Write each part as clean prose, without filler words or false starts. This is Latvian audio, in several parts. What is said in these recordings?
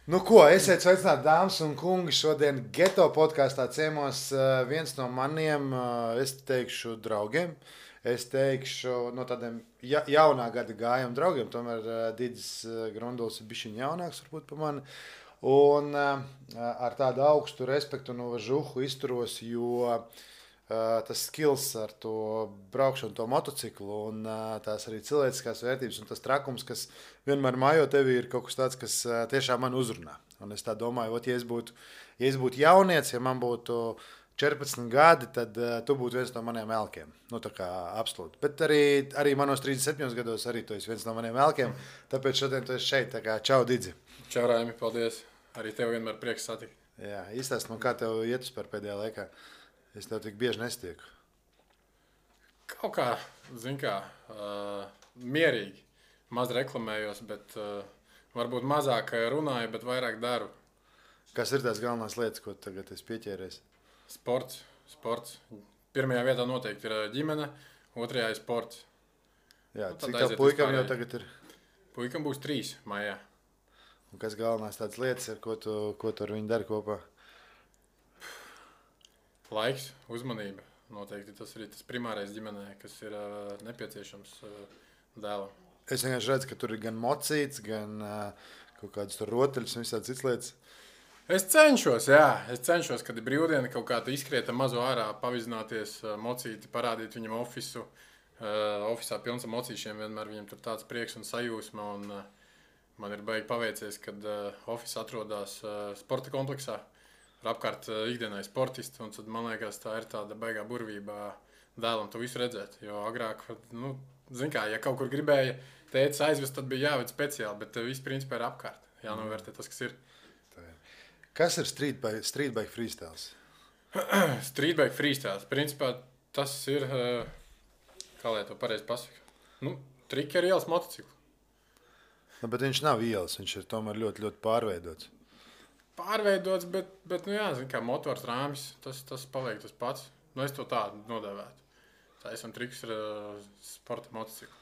Nu ko, esiet sveicināti, dāmas un kungi. Šodien Geto podkāstā ciemos viens no maniem, es teikšu, draugiem. Es teikšu, no tādiem jaunā gada gājiem draugiem. Tomēr Digis Grunduls ir bišķiņ jaunāks varbūt par mani. Un ar tādu augstu respektu un uvažuhu izturos, jo tas skills ar to braukšanu, to motociklu un tās arī cilvēciskās vērtības un tas trakums, kas vienmēr mājo tevi, ir kaut kas tāds, kas tiešām man uzrunā. Un es tā domāju, ja es būtu jaunietis, ja man būtu 14 gadi, tad tu būtu viens no maniem elkiem. Nu, tā kā absolūti. Bet arī manos 37 gados arī tu esi viens no maniem elkiem. Tāpēc šodien tu esi šeit. Tā kā čau, Didzi. Čau, Raimi, paldies. Arī tev vienmēr prieks satikt. Jā, izstāst man, kā tev iet vispār pēdējā laikā. Es tev tik bieži nestieku. Kaut kā, mierīgi. Maz reklamējos, bet varbūt mazāk runāju, bet vairāk daru. Kas ir tās galvenās lietas, ko tagad esi pieķēries? Sports. Pirmajā vietā noteikti ir ģimene, otrajā ir sports. Jā, cik tev puikam jau tagad ir? Puikam būs 3 maijā. Un kas galvenās tādas lietas ir, ko tu ar viņu dari kopā? Laiks, uzmanība. Noteikti tas ir tas primārais ģimenē, kas ir nepieciešams dēlam. Es vienkārši redzu, ka tur ir gan mocīts, gan kaut kādas tur rotaļas un visādas cits lietas. Es cenšos, kad ir brīvdiena kaut kā izskriet mazo ārā, pavizināties, mocīti, parādīt viņam ofisu. Ofisā pilns ar mocīšiem, vienmēr viņam tur tāds prieks un sajūsma. Un, man ir baigi paveicies, kad ofis atrodas sporta kompleksā. Ar apkārt ikdienai sportisti, un tad man liekas, tā ir tāda baigā burvība dēlam to visu redzēt. Jo agrāk, ja kaut kur gribēja tētis aizvest, tad bija jāved speciāli, bet viss principā ir apkārt. Jānovērtē tas, kas ir. Kas ir streetbike freestyles? Streetbike freestyles. Principā tas ir, kā lai to pareizi pasaka, triki ar ielas motociklu. Bet viņš nav ielas, viņš ir tomēr ļoti, ļoti pārveidots. Pārveidots, bet motors rāmis, tas paliek tas pats. Es to tādu nodēvētu. Tā esam triks ar sporta motociklu.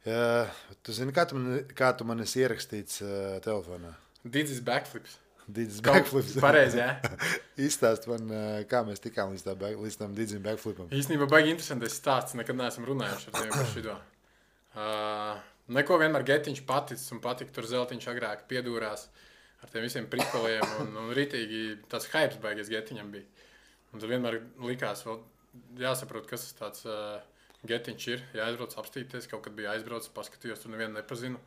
Jā, tu zini, kā tu man esi ierakstīts telefonā? Digis backflips. Digis backflips. Pareizi, jā. Izstāst man, kā mēs tikām līdz tam Digis backflipam. Īstenībā baigi interesantais stāsts, nekad neesam runājuši ar tevi par šido. Neko vienmēr getiņš paticis un patika, tur zeltiņš agrāk piedūrās. Ar tiem visiem prikoliem un ritīgi tāds hypes baigies getiņam bija. Un tad vienmēr likās, jāsaprot, kas tāds getiņš ir. Jāaizbrauc apstīties, kaut kad bija aizbraucis, paskatījos, tur nevienu nepazinu.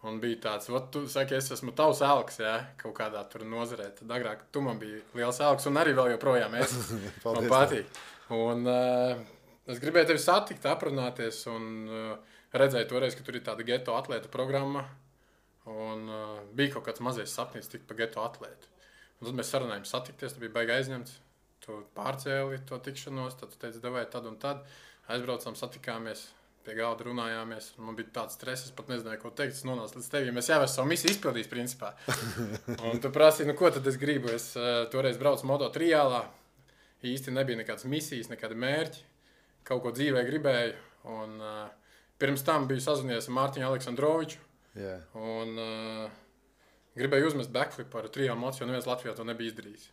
Un bija tāds, tu saki, es esmu tavs elks, jā, kaut kādā tur nozarē. Tad agrāk tu man bija liels elks un arī vēl joprojām es. Man patīk. Un es gribēju tevi satikt, aprunāties un redzēju toreiz, ka tur ir tāda geto atlēta programma. Un bija kaut kāds mazais sapnis tikt pa geto atlētu. Un tad mēs sarunājām satikties, tad bija baigi aizņemts. Tu pārcēli to tikšanos, tad tu teici, davai tad un tad. Aizbraucām, satikāmies, pie galda runājāmies. Un man bija tāds stress, es pat nezināju, ko teikt. Es nonācu līdz tevi, mēs jau esam savu misiju izpildījis, principā. Un tu prasīji, ko tad es gribu. Es toreiz braucu moto triālā. Īsti nebija nekādas misijas, nekādi mērķi. Kaut ko dzīvē gribēju. Un pirms tam biju sazinies ar Mārtiņu Aleksandroviču. Yeah. Un gribēju uzmest backflipu ar 3 mociju, jo neviens Latvijā to nebija izdarījis.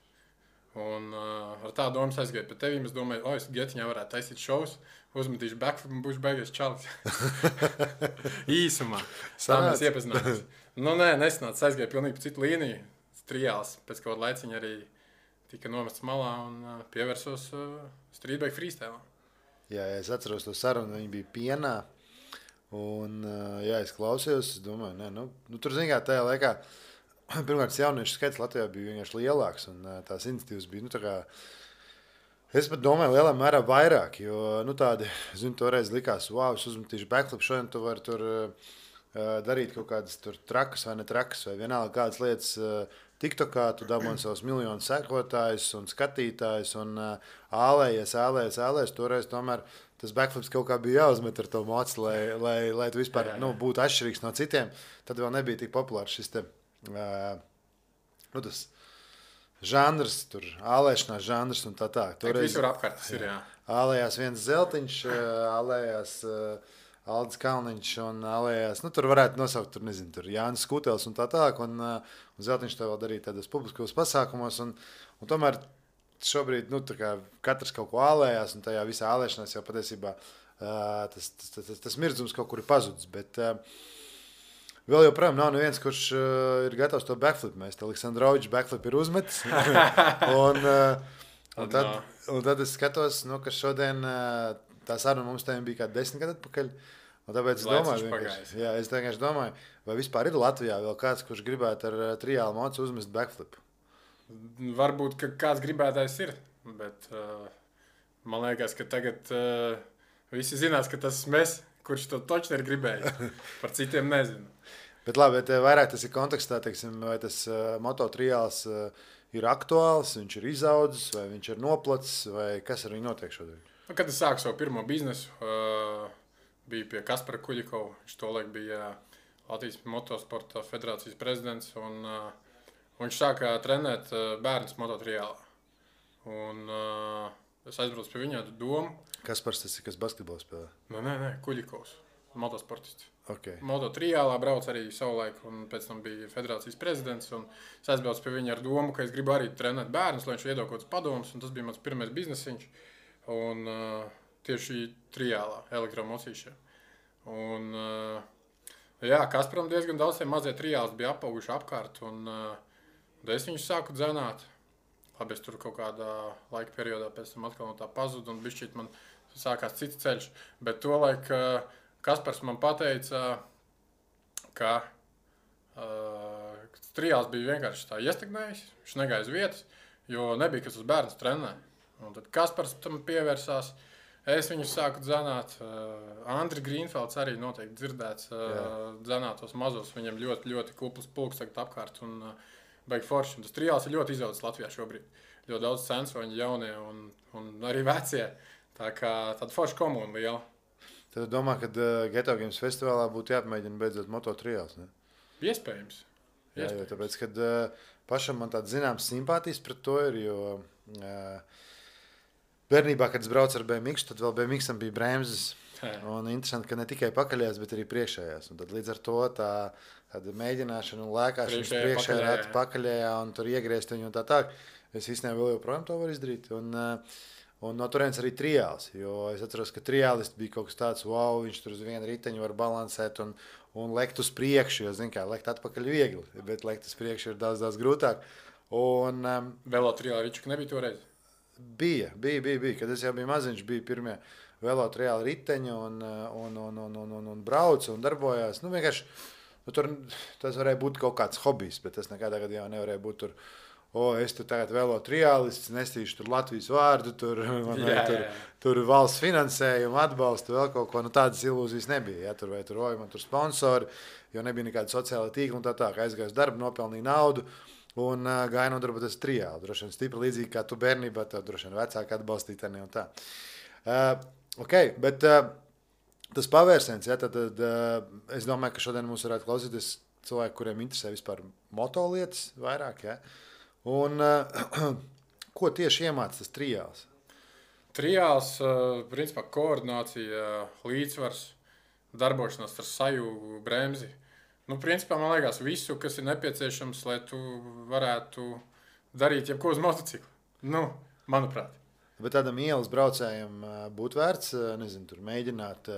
Un ar tādu domu es aizgāju pie tevīm. Es domāju, es getiņā varētu taisīt šovus, uzmetīšu backflipu un būšu beigies čalis. Īsumā. Tā mēs iepazināmies. Nesanāca. Aizgāju pilnīgi pa citu līniju. Triāls pēc kaut laiciņa arī tika nomests malā un pievērsos streetbike freestylam. Jā, es atceros to sarunu, viņi bija pienā. Un, es klausījos, es domāju, tur zin kā tajā laikā, pirmkārt, jauniešu skaits Latvijā bija vienkārši lielāks, un tās iniciatīvas bija, es pat domāju, lielā mērā vairāk, jo, tādi, toreiz likās, es uzmetīšu backflip, šodien tu vari tur darīt kaut kādas tur trakas vai netrakas, vai vienalga kādas lietas TikTokā, tu dabūni savus miljonus sekotājus un skatītājus, un ālējies, toreiz tomēr tas backflips kaut kā bija jāuzmet ar to moci, lai tu vispār būtu atšķirīgs no citiem. Tad vēl nebija tik populārs šis tas žanrs, tur ālēšanās žanrs un tā. Toreiz, visur apkārt tas ir, jā. Ālējās viens zeltiņš, ālējās Aldis Kalniņš un Alējās. Nu, tur varētu nosaukt, tur, nezinu, tur Jānis Skutels un tā tālāk. Un Zeltiņš to vēl darīja tādos publiskos pasākumos. Un tomēr šobrīd, nu, tā kā katrs kaut ko ālējās, un tajā visā ālēšanās jau patiesībā tas mirdzums kaut kur ir pazudis. Bet vēl joprojām nav neviens, kurš ir gatavs to backflip mēst. Aleksandrovičs backflip ir uzmetis. un tad es skatos, nu, ka šodien tā saruna mums tajā bija kā 10 gadu atpakaļ. Un tāpēc es vienkārši domāju, vai vispār ir Latvijā vēl kāds, kurš gribētu ar triālu mocu uzmest backflip? Varbūt, ka kāds gribētājs ir, bet man liekas, ka tagad visi zinās, ka tas mēs, kurš to točni ir gribējis. Par citiem nezinu. Bet labi, bet vairāk tas ir kontekstā, teiksim, vai tas mototriāls ir aktuāls, viņš ir izaudzis, vai viņš ir noplacis, vai kas ar viņu notiek šodien? Kad es sāku savu pirmo biznesu, biju pie Kaspara Kuļikova. Viņš tolaik bija Latvijas motosporta federācijas prezidents, un viņš sāka trenēt bērnus mototriālā. Un es aizbraucu pie viņa ar domu. Kaspars tas ir, kas basketbolu spēlē? Nē, Kuļikovs, motosportists. Okay. Mototriālā brauc arī savulaik, un pēc tam bija federācijas prezidents. Es aizbraucu pie viņa ar domu, ka es gribu arī trenēt bērnus, lai viņš iedod kaut kāds padomus, un tas bija mans pirmais biznesiņš. Un tieši triālā, elektromocīšā. Un Kasparam diezgan daudz mazie triāls bija apauguši apkārt, un es viņus sāku dzenāt. Labi, es tur kaut kādā laika periodā pēc tam atkal no tā pazudu, un bišķīt man sākās cits ceļš. Bet tolaik Kaspars man pateica, ka triāls bija vienkārši tā iestagnējis, viņš negāja uz vietas, jo nebija kas uz bērnus trenē. Un tad Kaspars tam pievērsās, es viņus sāku dzenāt. Andri Grīnfelds arī noteikti dzirdēts dzenāt tos mazos, viņam ļoti, ļoti kupls pulks tagad apkārt un baigi forši. Un tas triāls ir ļoti izaudzis Latvijā šobrīd. Ļoti daudz censoņi jaunie un arī vecie. Tā kā tāda forša komuna liela. Tad domā, ka Geto Games festivālā būtu jāpamēģina beidzot mototriāls, ne? Iespējams. Jā, jo tāpēc, kad pašam man tāds zināms simpātijas pret to ir, jo bērnībā, kad es braucu ar BMX, tad vēl BMX-am bija bremzes. Un interesanti, ka ne tikai pakaļējās, bet arī priekšējās. Un tad līdz ar to tāda mēģināšana un lēkāšanas priekšējā rati pakaļējā un tur iegriezt viņu un tā tā. Es īstenībā vēl joprojām to varu izdarīt. Un no turienes arī triāls, jo es atceros, ka triālists bija kaut kas tāds, wow, viņš tur uz vienu riteņu var balansēt un lekt uz priekšu, jo, zin kā, lekt atpakaļ viegli, bet lekt uz priekšu ir daudz, daudz grūtāk. Un Velo triāla ričuka nebija toreiz? Bija. Kad es jau biju maziņš, bija pirmie velo triāla riteņi un braucu un darbojās. Nu, vienkārši, tur tas varēja būt kaut kāds hobijs, bet tas nekādā gadījumā nevarēja būt tur. Es tur tagad velo triālists, nestīšu tur Latvijas vārdu, tur valsts finansējumu, atbalstu, vēl kaut ko. Nu, tādas ilūzijas nebija. Ja? Tur man tur sponsori, jo nebija nekāda sociāla tīkla un tā. Aizgāju uz darbu, nopelnīju naudu un gāju nodarboties triāli. Droši vien stipri līdzīgi kā tu bērnībā, tev droši vien vecāki atbalstītani un tā. Bet tas pavērsiens, ja, tad es domāju, ka šodien mums varētu klausīties cilvēki, kuriem interesē vispār motolietas vairāk, ja? Un ko tieši iemāca tas triāls? Triāls, principā, koordinācija, līdzsvars, darbošanās ar sajūgu, bremzi. Nu, principā, man liekas, visu, kas ir nepieciešams, lai tu varētu darīt jebko uz motociklu. Nu, manuprāt. Bet tādam ielas braucējam būtu vērts, nezinu, tur mēģināt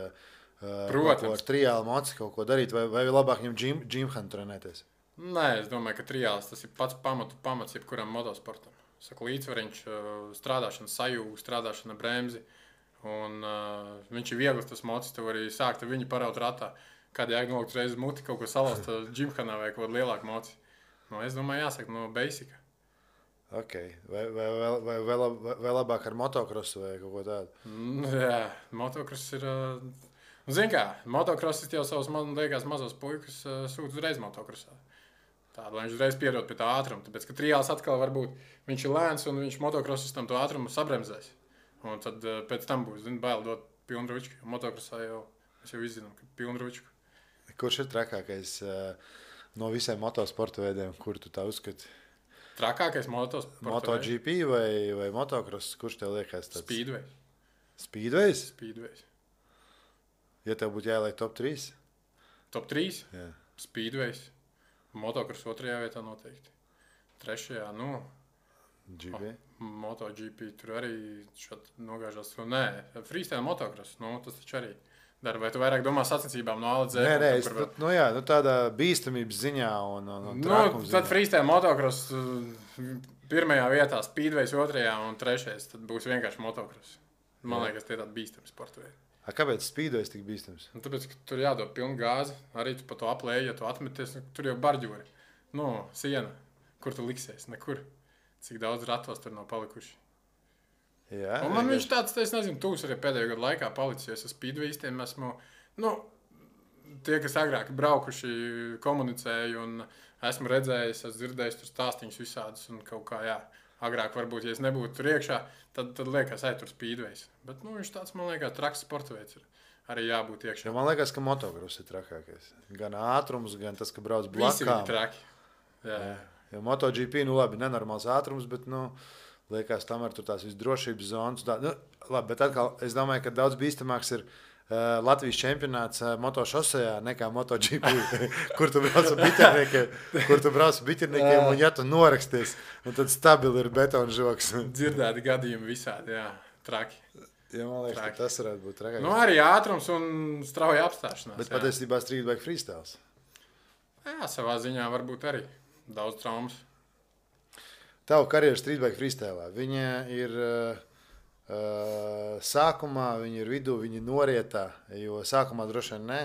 ar triālu moci kaut ko darīt, vai labāk viņam džimhanu trenēties? Nē, es domāju, ka triāls tas ir pats pamats jebkuram motosportam. Saka, līdzsvariņš, strādāšana sajūgu, strādāšana bremzi. Un viņš ir viegls tas mocis, tu vari sākt ar viņu paraut ratā. Kādi jāgnolikt reiz muti kaut ko salauzt džimhanā vai kaut lielāku moci. Nu, es domāju, jāsaka no basika. Ok. Vai labāk ar motokrosu vai kaut ko tādu? Jā, motokross ir... Zini kā, motokrosis jau savus, man liekas, mazos puikas sūta uzreiz motokrosā. Tādu, lai viņš uzreiz pierod pie tā ātruma. Tāpēc, ka triāls atkal varbūt viņš ir lēns un viņš motokrosistam to ātrumu sabremzēs. Un tad pēc tam būs, bail dot pilnručku. Motokrosā jau, es jau izzinu, ka pilnručku. Kurš ir trakākais no visiem motosporta veidiem, kur tu tā uzskati? Trakākais motosporta MotoGP vai motokross, kurš tev liekas tāds? Speedways. Speedways? Speedways. Ja tev būtu jāieliek top 3? Top 3? Jā. Speedways. Motocross 2. vietā noteikti. 3. GP? MotoGP tur arī nogāžās. Nē, freestyle motocross. Tas taču arī dara. Vai tu vairāk domā sacensībām no A līdz Z? Nē, tādā bīstamības ziņā un trakuma ziņā. Tad freestyle motocross 1. vietā, Speedways 2. un 3. Tad būs vienkārši motocross. Man liekas, tie tādi bīstami sporta veidi. Kāpēc Speedways tik bīstams? Tāpēc, ka tur jādod pilnu gāzi. Arī tu pa to aplēji, ja tu atmeties, tur jau barģuri. Siena. Kur tu liksies? Nekur. Cik daudz ratos tur nav palikuši. Jā. Un man viņš tāds, es nezinu, tūs arī pēdējo gadu laikā palicis, jo es ar Speedwaystiem esmu, tie, kas agrāk braukuši, komunicēju un esmu redzējis, esmu dzirdējis tur stāstīņus visādus un kaut kā, agrāk varbūt, ja es nebūtu tur iekšā, tad liekas, tur Speedways. Bet, viņš tāds, man liekas, traks sporta veids ir arī jābūt iekšā. Jo man liekas, ka motocross ir trakākais. Gan ātrums, gan tas, ka brauc blakām. Visi ir traki. Jā. Jo MotoGP, labi, nenormāls ātrums, bet, liekas, tam ir tur tās visdrošības zonas. Labi, bet atkal, es domāju, ka daudz bīstamāks ir Latvijas čempionāts motošosejā nekā MotoGP, kur tu brauc ar biķerniekiem, un ja tu noraksties, tad stabili ir betona žoks. Dzirdēti gadījumi visādi, traki. Ja, man liekas, ka tas varētu būt trakāk. Arī ātrums un strauja apstāšanās. Bet patiesībā streetbike freestyles. Jā, savā ziņā varbūt arī daudz traumas. Tavu karjeru streetbike freestylā. Viņa ir sākumā, viņa ir vidū, viņa ir norietā, jo sākumā droši vien nē.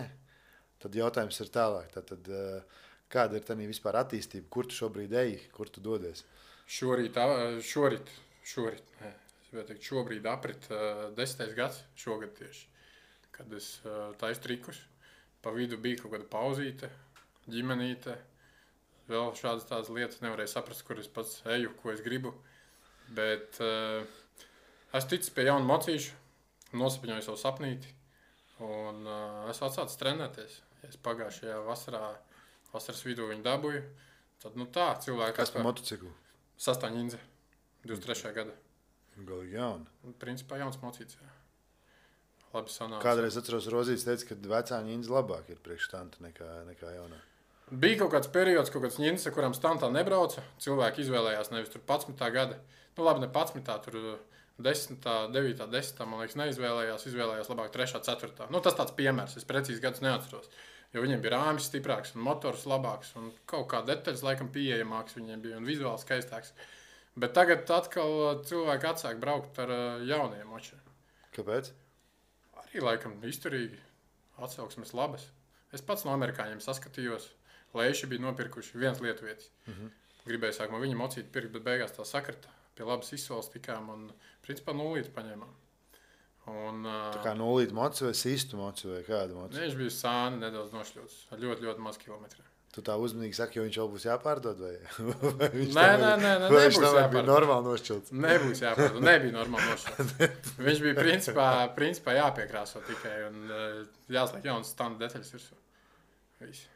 Tad jautājums ir tālāk. Tad, kāda ir tā vispār attīstība? Kur tu šobrīd eji? Kur tu dodies? Šorīt, šobrīd aprit 10. gads, šogad tieši, kad es taisu trikus. Pa vidu bija kaut kāda pauzīte, ģimenīte, vēl šādas tādas lietas nevarēju saprast, kur es pats eju, ko es gribu. Bet es ticu pie jaunu mocīšu, nosapņoju savu sapnīti un esmu atsācis trenēties. Ja es pagājušajā vasaras vidū viņu dabūju, tad cilvēki... Kas par motociklu? Sastāv Ņindze, 23. gada. Galīgi jauna. Principā jauns mocīts, jā. Labi sanāca. Kādreiz atceros, Rozīts teica, ka vecā Ņindze labāk ir priekš stanta nekā jaunā. Bija kaut kāds periods, kaut kāds Ņindze, kuram stantā nebrauca. Cilvēki izvēlējās nevis tur 11. gada. Labi, ne 11. tur 10., 9., 10. man liekas izvēlējās labāk 3., 4. Tas tāds piemērs, es precīzi gadus neatceros. Jo viņiem bija rāmis stiprāks un motors labāks un kaut kā detaļas laikam pieejamāks viņiem bija un vizuāli skaistāks. Bet tagad atkal cilvēki atsāk braukt ar jauniem močiem. Kāpēc? Arī laikam izturīgi, atsauksmes labas. Es pats no amerikāņiem saskatījos, Leiši bija nopirkuši viens lietuvietis. Gribēju sākumā viņa mocīt pirkt, bet beigās tā sakrita. Pie labas izsoles tikām un principā 0 paņēmām. Tā kā 0 moci vai sistu moci vai kādu moci? Viņš bija sāni nedaudz nošļūts, ar ļoti, ļoti maz kilometriem. Tu tā uzmanīgi saki, jo viņš vēl būs jāpārdod? Vai nē, nebūs jāpārdod. Bija normāli nošķilts? Nebūs jāpārdod, nebija normāli nošķilts. Viņš bija principā jāpiekrāso tikai un jāsliek jaunas standa detaļas virsū. Visi.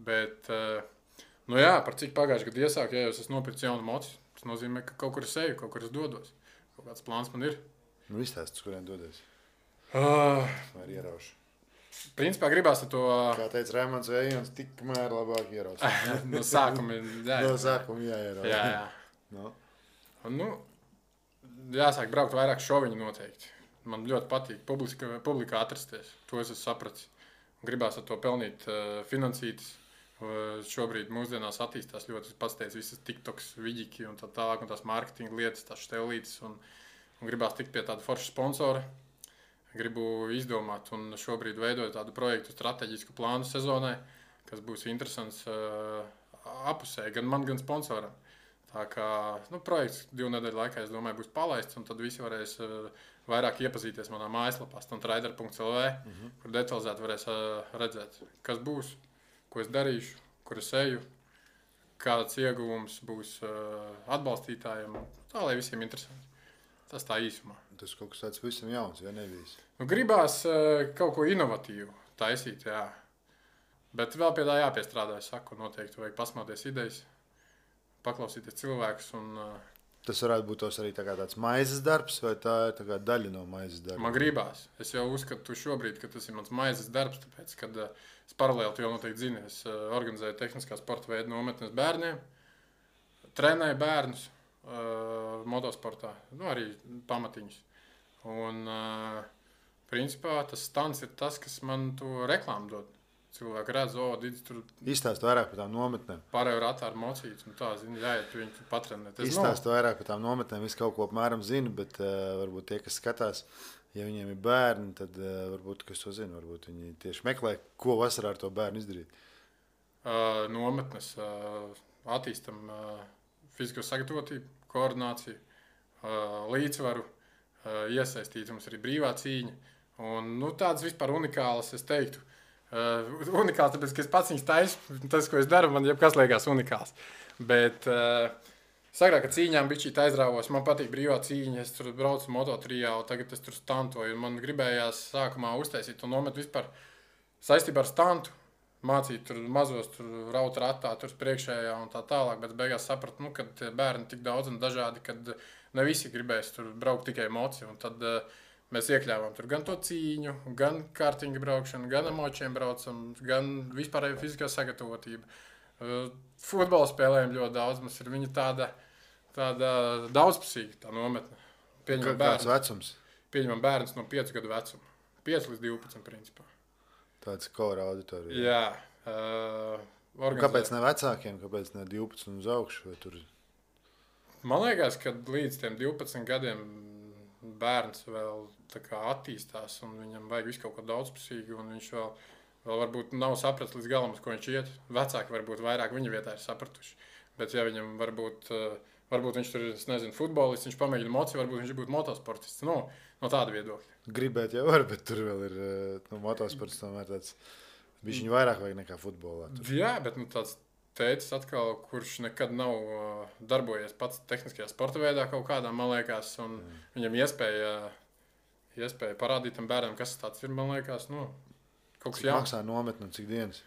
Bet, par cik pagājuši gadu iesāku, ja jau es nopircu jaunu moci, tas nozīmē, ka kaut kur es eju, kaut kur es dodos. Kaut kāds plāns man ir. Izstāst, kuriem dodies? Vai ieraušu? Principā gribās ar to... Kā teica Raimonds Vējons, tikmēr labāk ieraust. No sākuma jāierauš. Jā. Jāsāk braukt vairāk šoviņu noteikti. Man ļoti patīk publikā atrasties. To es esmu sapratis. Gribās ar to pelnīt finansītas. Šobrīd mūsdienās attīstās ļoti, pats teicu, visas TikToks, vidiki un tā tālāk, un tās marketinga lietas, tās štelītes. Un gribās tikt pie tāda forša sponsora. Gribu izdomāt un šobrīd veidot tādu projektu strateģisku plānu sezonai, kas būs interesants apusē, gan man, gan sponsoram. Tā kā projekts 2 nedēļu laikā, es domāju, būs palaists, un tad visi varēs vairāk iepazīties manā mājaslapā, stuntrider.lv, kur detalizēti varēs redzēt, kas būs, ko es darīšu, kur es eju, kāds ieguvums būs atbalstītājiem, tā lai visiem interesanti. Tas tā īsumā. Tas kaut kas tāds visam jauns, ja nebijis. Gribās kaut ko inovatīvu taisīt, jā. Bet vēl pie tā jāpiestrādā, es saku, noteikti vajag pasmāties idejas, paklausīties cilvēkus un Tas varētu būt arī tāds maizes darbs, vai tā ir tā daļa no maizes darba? Man gribās. Es jau uzskatu šobrīd, ka tas ir mans maizes darbs, tāpēc, kad es paralēli, tu jau noteikti zini, es organizēju tehniskā sporta veidu nometnes bērniem, trenēju bērnus motosportā, arī pamatiņus. Un, principā, tas stans ir tas, kas man to reklāmu dod. Cilvēki redz, Didis tur... Izstāst vairāk par tām nometnēm. Pārējo ratā ar mocītas un tā, jāiet, tu viņu patrenēt. Izstāst vairāk par tām nometnēm, visu kaut ko apmēram zinu, bet varbūt tie, kas skatās, ja viņiem ir bērni, tad varbūt, kas to zina, varbūt viņi tieši meklē, ko vasarā ar to bērnu izdarīt. Nometnes attīstam fizisko sagatavotību, koordināciju, līdzsvaru, iesaistīt mums arī brīvā cīņa. Un, tādas vispār unikālas, es teiktu, unikāls, tāpēc, ka es pats viņus taisu, tas, ko es daru, man jebkas liekas unikāls. Bet sagrāk, ka cīņām bišķīt aizrāvos, man patīk brīvā cīņa, es tur braucu Moto3, tagad es tur stantoju, un man gribējās sākumā uztaisīt to nometu vispār saistībā ar stantu, mācīt tur mazos, tur raut ratā, tur priekšējā un tā tālāk, bet beigās sapratu, kad bērni tik daudz un dažādi, kad ne visi gribēs tur braukt tikai emociju, un tad mēs iekļāvām tur gan to cīņu, gan kārtiņu braukšanu, gan emočiem braucam, gan vispārēju fiziskā sagatavotību. Futbolu spēlējam ļoti daudz, mums ir viņa tāda daudzpusīga tā nometne. Kāds vecums? Pieņemam bērns no 5 gadu vecuma. 5 līdz 12 principā. Tāds kora auditorija. Jā. Kāpēc ne vecākiem, kāpēc ne 12 uz augšu? Tur... Man liekas, ka līdz tiem 12 gadiem bērns vēl attīstās, un viņam vajag visu kaut ko daudzpusīgu, un viņš vēl varbūt nav sapratis līdz galam, uz ko viņš iet. Vecāki varbūt vairāk viņa vietā ir sapratuši. Bet ja viņam varbūt viņš tur, es nezinu, futbolists, viņš pamēģina emociju, varbūt viņš būtu motosportists. No tāda viedokļa. Gribēt jau var, bet tur vēl ir motosports tomēr tāds, bišķiņu vairāk vajag nekā futbolā. Tur. Jā, bet tāds tētis atkal, kurš nekad nav darbojies pats tehniskajā sporta veidā kaut kādā, man liekas, un viņam iespēja parādīt tam bērnam, kas tāds ir, man liekas, kaut kas jauns. Cik maksā nometne un cik dienas?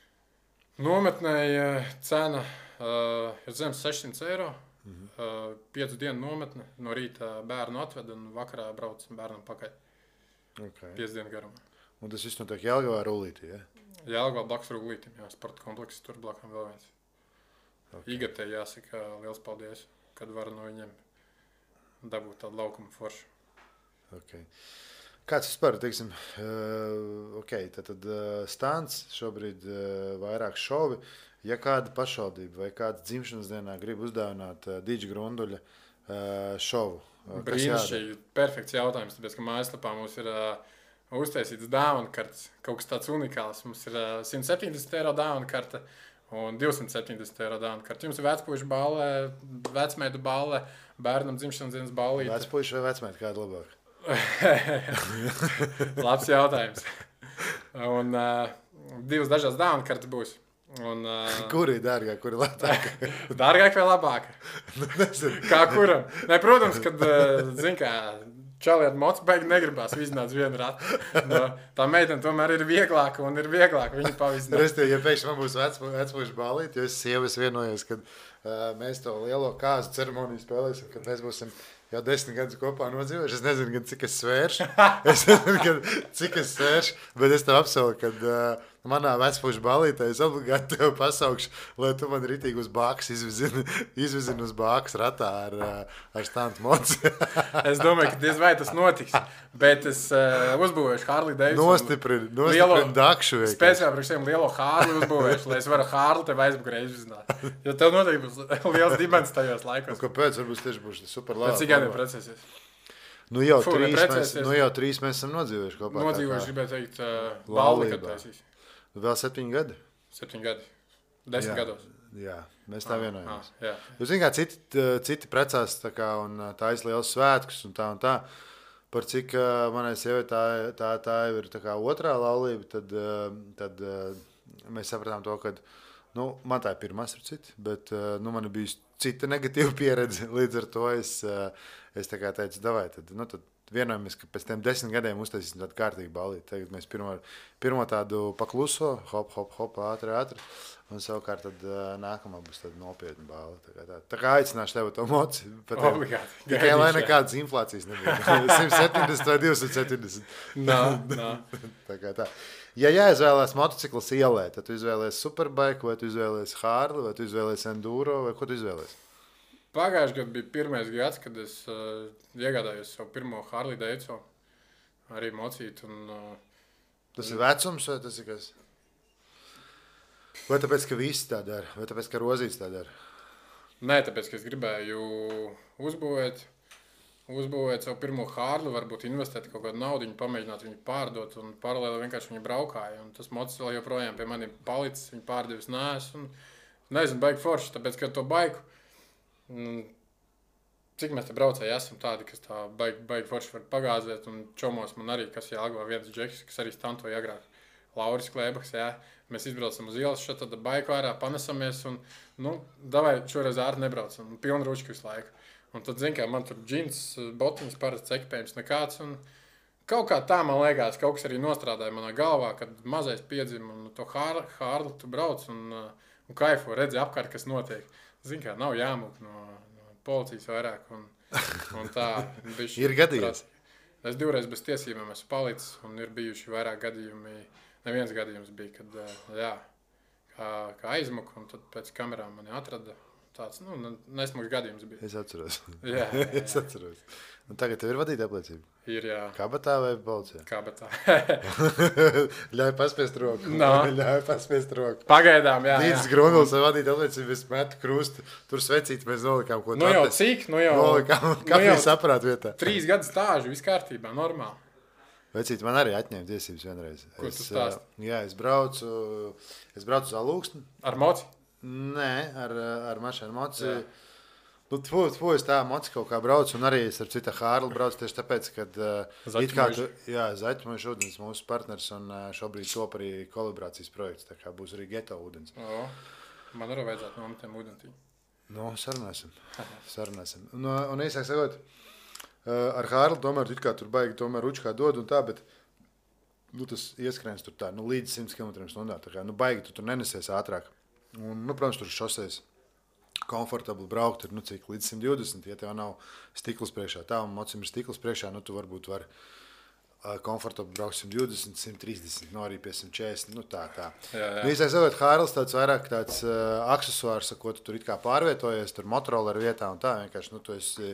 Nometnēji cena ir zem 600 eiro, 5 dienu nometne, no rīta bērnu atved un vakarā brauc bērnam pakaļ. Okay. 5 dienu garumā. Un tas viss notiek Jelgavā Rullītī, ja? Jelgavā blakus Rullītim, jā, sporta komplekss, tur blakām vēl viens. Okay. Igatē jāsaka liels paldies, kad var no viņiem dabūt tādu laukumu foršu. Okay. Kāds vispār, teiksim, tad stāns šobrīd vairāk šovi. Ja kāda pašvaldība vai kāds dzimšanas dienā grib uzdāvināt Dīdža Grunduļa šovu? Brīnišķīgi, perfekts jautājums, tāpēc, ka mājaslapā mums ir uztaisīts dāvana kartes, kaut kas tāds unikāls. Mums ir 170 eiro dāvana karte un 270 eiro dāvana karte. Jums ir vecpuišu balle, vecmeitu balle, bērnam dzimšanas dienas ballīte. Vecpuišu vai vecmeitu kādu labāk? Labs jautājums. Un 2 dažādas dāvana kartes būs. Un, kuri ir dārgāk, kuri lētāka? Dārgāk vai labāk? Kā kuram? Ne, protams, kad, čali ar mocu beigi negribās vizināt vienu ratu. Tā meitene tomēr ir vieglāka un ir vieglāk viņu pavizināt. Restī, ja pēkšņi man būs vecpuišu ballīt, jo es sievas vienojos, kad mēs to lielo kāzu ceremoniju spēlēsim, kad mēs būsim jau 10 gadus kopā nodzīvojuši. Es nezinu, cik es svēršu. Bet es tev apsolu, ka manā vecpuišu ballītē es obligāti tev pasaukšu, lai tu man ritīgi uz bāks izvizini uz bāks ratā ar stāntu mocu. Es domāju, ka diez vai tas notiks, bet es uzbūvēšu Harley Davidson. Nostiprini dakšu. Speciāli priekš tiem lielo Harley uzbūvēšu, lai es varu Harley tev aizbukrē izvizināt. Jo tev noteikti būs liels dimens tajos laikos. Kāpēc? Varbūt tieši būs super labi. Cik gadiem precēsies? Jau 3 mēs esam nodzīvojuši kopā. Nodzīvojuši, gribēju teikt, balli, kad taisīs. Vēl 7 gadi? 7 gadi. 10 gados. Jā, mēs tā vienojamies. Jūs zināt, kā citi precās un taisa liels svētkus un tā. Par cik manai sievai tā ir tā kā otrā laulība, tad mēs sapratām to, ka man tā ir pirmā ar citu, bet man ir bijusi cita negatīva pieredze. Līdz ar to es tā kā teicu, davai, tad vienojamies, ka pēc tiem 10 gadiem uztaisīsim tādu kārtīgu ballīti. Tagad mēs pirmo tādu pakluso, hop, ātri. Un savukārt tad nākamā būs tāda nopietna balva. Tā kā aicināšu tevi to moci. Tikai lai nekādas inflācijas nebija. 170 vai 270. Tā kā tā. Ja jāizvēlās motocikls ielē, tad tu izvēlēsi Superbike, vai tu izvēlēsi Harley, vai tu izvēlēsi Enduro, vai ko tu izvēlēsi? Pagājušajā gadā bija pirmais gads, kad es iegādājos savu pirmo Harley Davidson, arī mocītu. Tas ir vecums, vai tas ir kas? Vai tāpēc, ka visi tā dara, vai tāpēc, ka Rozīts tā dara? Nē, tāpēc, ka es gribēju uzbūvēt savu pirmo Harley, varbūt investēt kaut kādu naudu, pamēģināt viņu pārdot un paralēli vienkārši viņu braukāju. Un tas mocis vēl joprojām pie mani palicis, viņu pārdevis neesmu. Nezinu, baigi forši, tāpēc, ka to baiku, cik mēs te braucēji esam tādi, kas tā baigi forši var pagāzēt, un čomos man arī, kas Jālgavā viens džeks, kas arī stantoja agrāk. Lauris Klēbaks, jā. Mēs izbraucam uz ielas, šeit tad baiku ārā, panesamies un, davai šoreiz ārti nebraucam, pilnu ručku visu laiku. Un tad, zin kā, man tur džins, botiņas, parasts ekipējums nekāds, un kaut kā tā, man liekas, kaut kas arī nostrādāja manā galvā, kad mazais piedzima, un to Harley tu brauc un kaifo, redzi apkārt, kas notiek. Zin kā, nav jāmūk no policijas vairāk, un tā. Ir gadījies? Es 2 reizes bez tiesībām esmu palicis, un ir bijuši vairāk gadījumi. Neviens gadījums bija, kad kā aizmuka, un tad pēc kamerām mani atrada. Tāds, nesmugs gadījums bija. Es atceros. Jā. Es atceros. Un tagad tev ir vadīta apliecība? Ir, jā. Kabatā vai policijā? Kabatā. Ļauj paspiest roku. Ļauj paspiest roku. Pagaidām, jā. Dīdis Grundls vai vadīta apliecība, es metu krustu. Tur svecīt mēs nolikām, ko tu jau cik? Nolikām kafijas aparātu vietā. 3 gadu stāžu, viss kārtībā, normāli. Vecīt, man arī atņēma tiesības vienreiz. Ko tu stāsti? Jā, es braucu uz Alūksni. Ar moci? Nē, ar mašīnu moci. Es tā moci kaut kā braucu, un arī es ar citu Harley braucu tieši tāpēc, kad Zaķmojuši ūdens mūsu partners, un šobrīd top arī kolaborācijas projekts, tā kā būs arī geto ūdens. Man arī vajadzētu nometiem ūdentī. Sarunāsim. Un īsāk sakot, ar Harley tomēr tur baigi tomēr ručkā dod un tā, bet tas ieskrēns tur tā, līdz 100 km/h. Tā kā, baigi tu tur nenesies ātrāk. Un, protams, tur šoseis komfortabli braukt ir, cik līdz 120, ja tev nav stikls priekšā. Tā, un mocim ir stikls priekšā, tu varbūt vari komfortabli braukt 120, 130, arī pie 140, tā. Jā. Īsāk sakot, Harley tāds vairāk tāds aksesuārs, ko tu tur it kā pārvietojies, tur Motorola vietā un tā, vienkārši, tu esi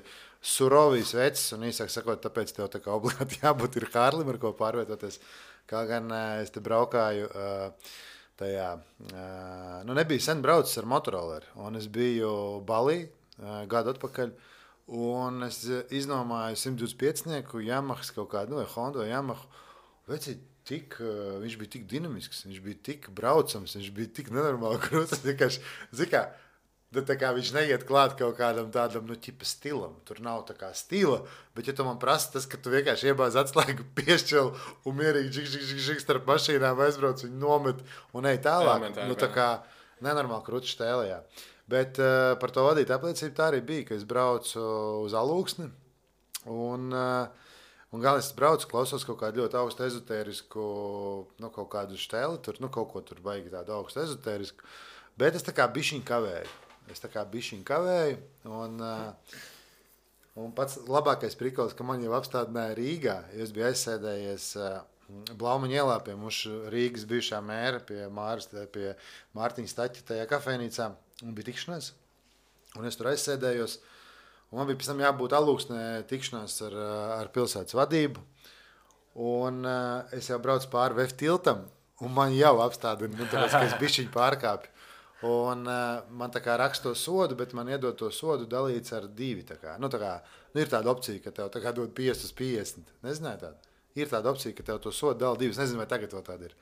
surovijas vecs, un īsāk sakot, tāpēc tev tā kā obligāti jābūt ir Harley, ar ko pārvietoties. Kā gan es te braukāju tajā, nebija sen braucis ar Motorola, un es biju Balī gadu atpakaļ, un es iznomāju 125-nieku Yamahas kaut kādu, vai Honda vai Yamaha. Vecīt, viņš bija tik dinamisks, viņš bija tik braucams, viņš bija tik nenormāli krūtis, vienkārši, tā kā viņš neiet klāt kaut kādam tādam, ķipa stilam. Tur nav tā kā stila, bet ja tu man prasa tas, ka tu vienkārši iebāz atslēgu piešķeli un mierīgi žik starp mašīnām aizbrauc, viņu nomet un ej tālāk. Tā kā nenormāli krūtis štēlējā. Bet par to vadīt apliecību tā arī bija, ka es braucu uz Alūksni un galvenais es braucu, klausos kaut kādu ļoti augstu ezotērisku, kaut kādu štēli, tur, kaut ko tur baigi tādu augstu ezotērisku, bet es tā kā bišķiņ kavēju. Un pats labākais prikols, ka man jau apstādināja Rīgā, jo es biju aizsēdējies Blaumaņa ielā pie mūsu Rīgas bijušā mēra, pie Mārtiņa Staķa tajā kafejnīcā, un bija tikšanās. Un es tur aizsēdējos, un man bija pēc tam jābūt Alūksnē tikšanās ar pilsētas vadību. Un es jau braucu pāri VF tiltam, un man jau apstādina, tāpēc, ka es bišķiņ pārkāpju. Un man tā kā raksta to sodu, bet man iedod to sodu dalīts ar 2. Tā kā. Ir tāda opcija, ka tev tā kā dod 50/50. Nezināju tādu. Ir tāda opcija, ka tev to sodu dala 2. Es nezinu, vai tagad vēl tāda ir.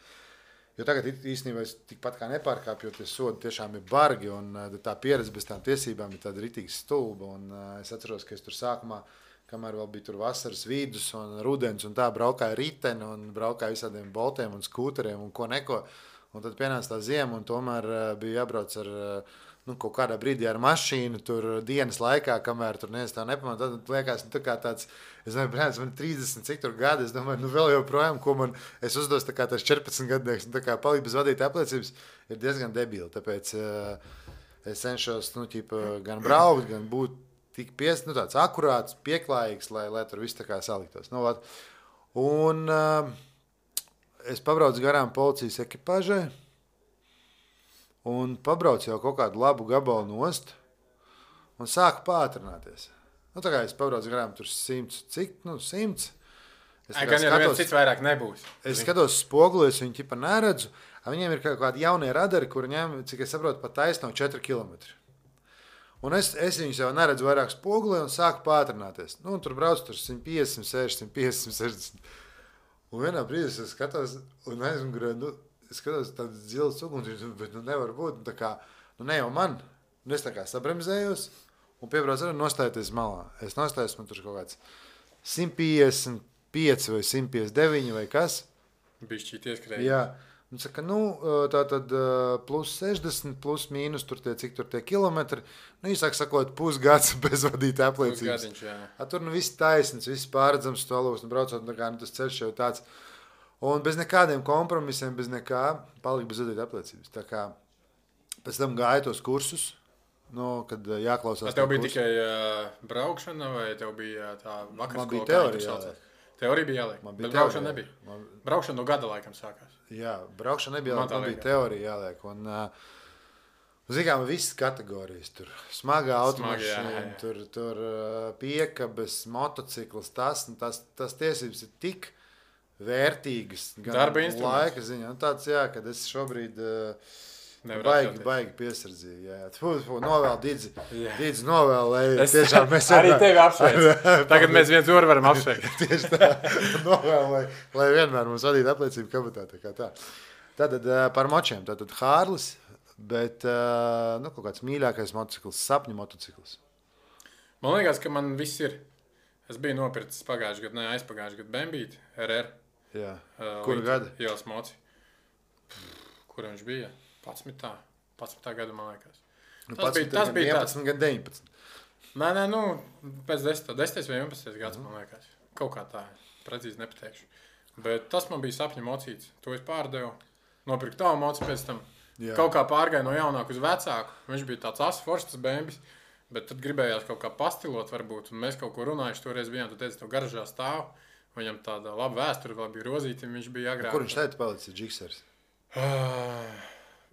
Jo tagad īstenībā es tikpat kā nepārkāpju, jo tie sodi tiešām ir bargi, un tā pieredze bez tām tiesībām ir tāda ritīgi stulba. Un es atceros, ka es tur sākumā, kamēr vēl bija tur vasaras vidus un rudens, un tā braukāja riteni, un braukāja visādiem boltiem un skūteriem un ko neko. Un tad pienāca tā ziema, un tomēr bija jābrauc ar kaut kādā brīdī ar mašīnu, tur dienas laikā, kamēr tur neviens tā nepamanā, tad liekas, tā kā tāds, es domāju, brāļs, man 30 cik tur gadi, es domāju, vēl joprojām, ko man, es uzdos tā kā tas 14 gadnieks, un tā kā palikt bez vadītāja apliecības, ir diezgan debili, tāpēc es cenšos, gan braukt, gan būt tik tāds akurāts, pieklājīgs, lai tur viss tā kā saliktos. Un es pabraucu garām policijas ekipāžai, un pabraucu jau kaut kādu labu gabalu nost, un sāku pātrināties. Tā kā es pabraucu garām tur 100, cik? 100. Gan jau viens cits vairāk nebūs. Es skatos spoguli, es viņu ķipa neredzu, viņiem ir kaut kādi jaunie radari, kuri ņem, cik es saprotu, pat taisno 4 kilometri. Un es viņus jau neredzu vairāk spogulī un sāku pātrināties. Tur braucu tur 150, 60, 150, 60. Un vienā brīdī es skatos un aizmugurē, es skatos tāds dzils uguns, bet nevar būt. Tā kā, ne jau man. Es tā kā sabremzējos un piebraucu arī nostājoties malā. Es nostājos, man tur kaut kāds 155 vai 159 vai kas. Bišķīt ieskrēja. Jā. Un saka, tā tad plus 60, plus mīnus, cik tur tie kilometri. Īsāk sakot, pusgads bez vadītāja apliecības. Pusgadiņš, jā. Tur viss taisnīgs, viss pārredzams, stolūs, braucot, tas ceļš jau tāds. Un bez nekādiem kompromisiem, bez nekā, palika bez vadītāja apliecības. Tā kā pēc tam gāja tos kursus, kad jāklausās. Tev bija tikai braukšana vai tev bija tā vakarskola? Man bija teorija jāliek. Teorija bija jāliek, bet braukšana nebija. Braukšana no gada laikam sākās. Jā, braukšana nebija jāliek, man bija teorija jāliek. Un, zinām, visas kategorijas tur. Smagā automašīna, tur piekabes, motocikls, tas tiesības ir tik vērtīgas. Darba instruments. Laika ziņā. Tāds, jā, kad es šobrīd baigi piesardzīgi. Jā. Novēl Didzi novēl, lai tiešām mēs arī tevi apsveic. Tagad mēs viens otru varam apsveikt. Tieši tā. Novēl, lai vienmēr mums vadītu apliecību kabatā. Tā. Tātad par močiem. Tātad Hārlis, bet kaut kāds mīļākais motocikls, sapņu motocikls. Man liekas, ka man viss ir. Es biju nopircis aizpagājuši gadu Bembīti, RR. Jā. Kuru gadu? Ielas moci. Kur viņš bija? 11. gada, man liekas. Tas bija 11 gan 19. Nē, pēc 10. vai 11. gads, man liekas. Kaut kā tā, precīzi nepateikšu. Bet tas man bija sapņu mocīts. To es pārdevu. Nopirku tavu moci pēc tam. Jā. Kaut kā pārgāju no jaunāku uz vecāku. Viņš bija tāds asforšs, tas Bembis. Bet tad gribējās kaut kā pastilot varbūt. Un mēs kaut ko runājuši. Toreiz bijām, tu teici, tev garažā stāv. Viņam tāda laba vēsture, vēl bija rozīti. Viņš bija agrāk. Kur viņš teica palicis Džiksers?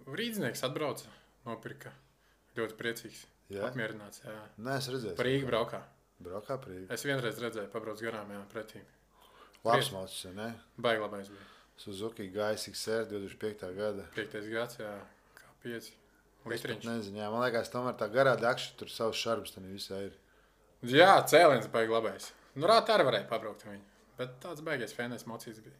Rīdznieks atbrauca, nopirka. Ļoti priecīgs. Jā? Apmierināts. Jā. Nē, es redzēju. Par Rīgu braukā. Braukā par Rīgu. Es vienreiz redzēju, pabrauc garām, jā, pretī. Labs mocis, ne? Baigi labais bija. Suzuki GSX-R 2005. gada. 5. gads, jā, kā 5. Litriņš. Nezinu, jā, man liekas, tomēr tā garā dakša tur savs šarbs, tad visā ir. Jā, cēliens baigi labais. Rāt arī varēja pabraukt viņu, bet tāds baigais fēnais mocīts bija.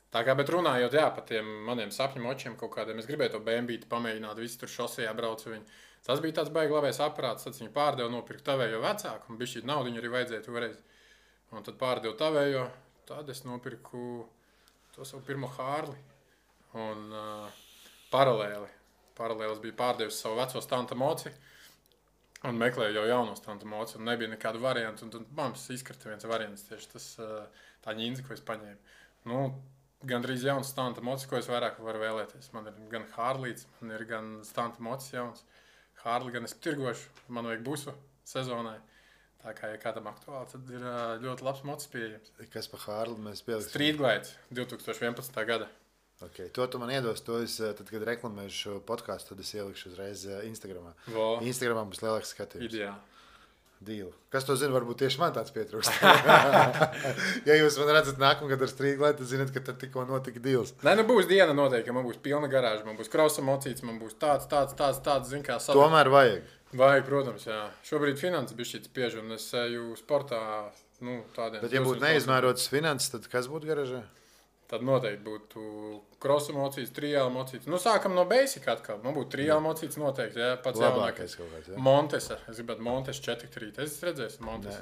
Tā kā, bet runājot, jā, par tiem maniem sapņu močiem kaut kādiem, es gribēju to Bembīti pamēģināt, visi tur šosejā braucu viņu. Tas bija tāds baigi labais aparāts, tad viņu pārdevu, nopirku tavējo vecāku, un bišķīt naudiņu arī vajadzēja toreiz. Un tad pārdevu tavējo, tad es nopirku to savu pirmo Hārli. Un paralēlis bija pārdevis savu veco stanta moci, un meklēju jau jauno stanta moci, un nebija nekādu variantu, un tad mums izkrita viens variants, tieši tas tā ņīnzi, ko es paņēmu. Gandrīz jauns stanta mocis, ko es vairāk varu vēlēties. Man ir gan Hārlīts, man ir gan stanta mocis jauns. Hārli gan es tirgošu, man vajag busu sezonai. Tā kā, ja kādam aktuāli, tad ir ļoti labs mocis pieejams. Kas par Hārli mēs pieliksim? Street Glide 2011. gada. Okay. To tu man iedos, to es, tad, kad reklamēšu šo podcastu, tad es ielikšu uzreiz Instagramā. Instagramā būs lielāks skatījums. Ideāli. Dīlu. Kas to zina, varbūt tieši man tāds pietrūkst. Ja jūs man redzat nākamgad ar Street Glide, tad zināt, ka tad tikko notika dīls. Nē, būs diena noteikti, man būs pilna garāža, man būs krausa mocīts, man būs tāds, zin kā sadarbs. Tomēr vajag. Vajag, protams, jā. Šobrīd finanses bišķīt spiež, un es eju sportā, tādiem. Bet ja būtu neizmērotas finanses, tad kas būtu garāžā? Tad noteikti būtu krosa mocīts, trijāla mocīts. Sākam no basic atkal. Man būtu trijāla mocīts noteikti, jā. Pats labākais kaut kāds, jā. Montesa. Es gribētu Montes 4-3. Es redzēju Montes.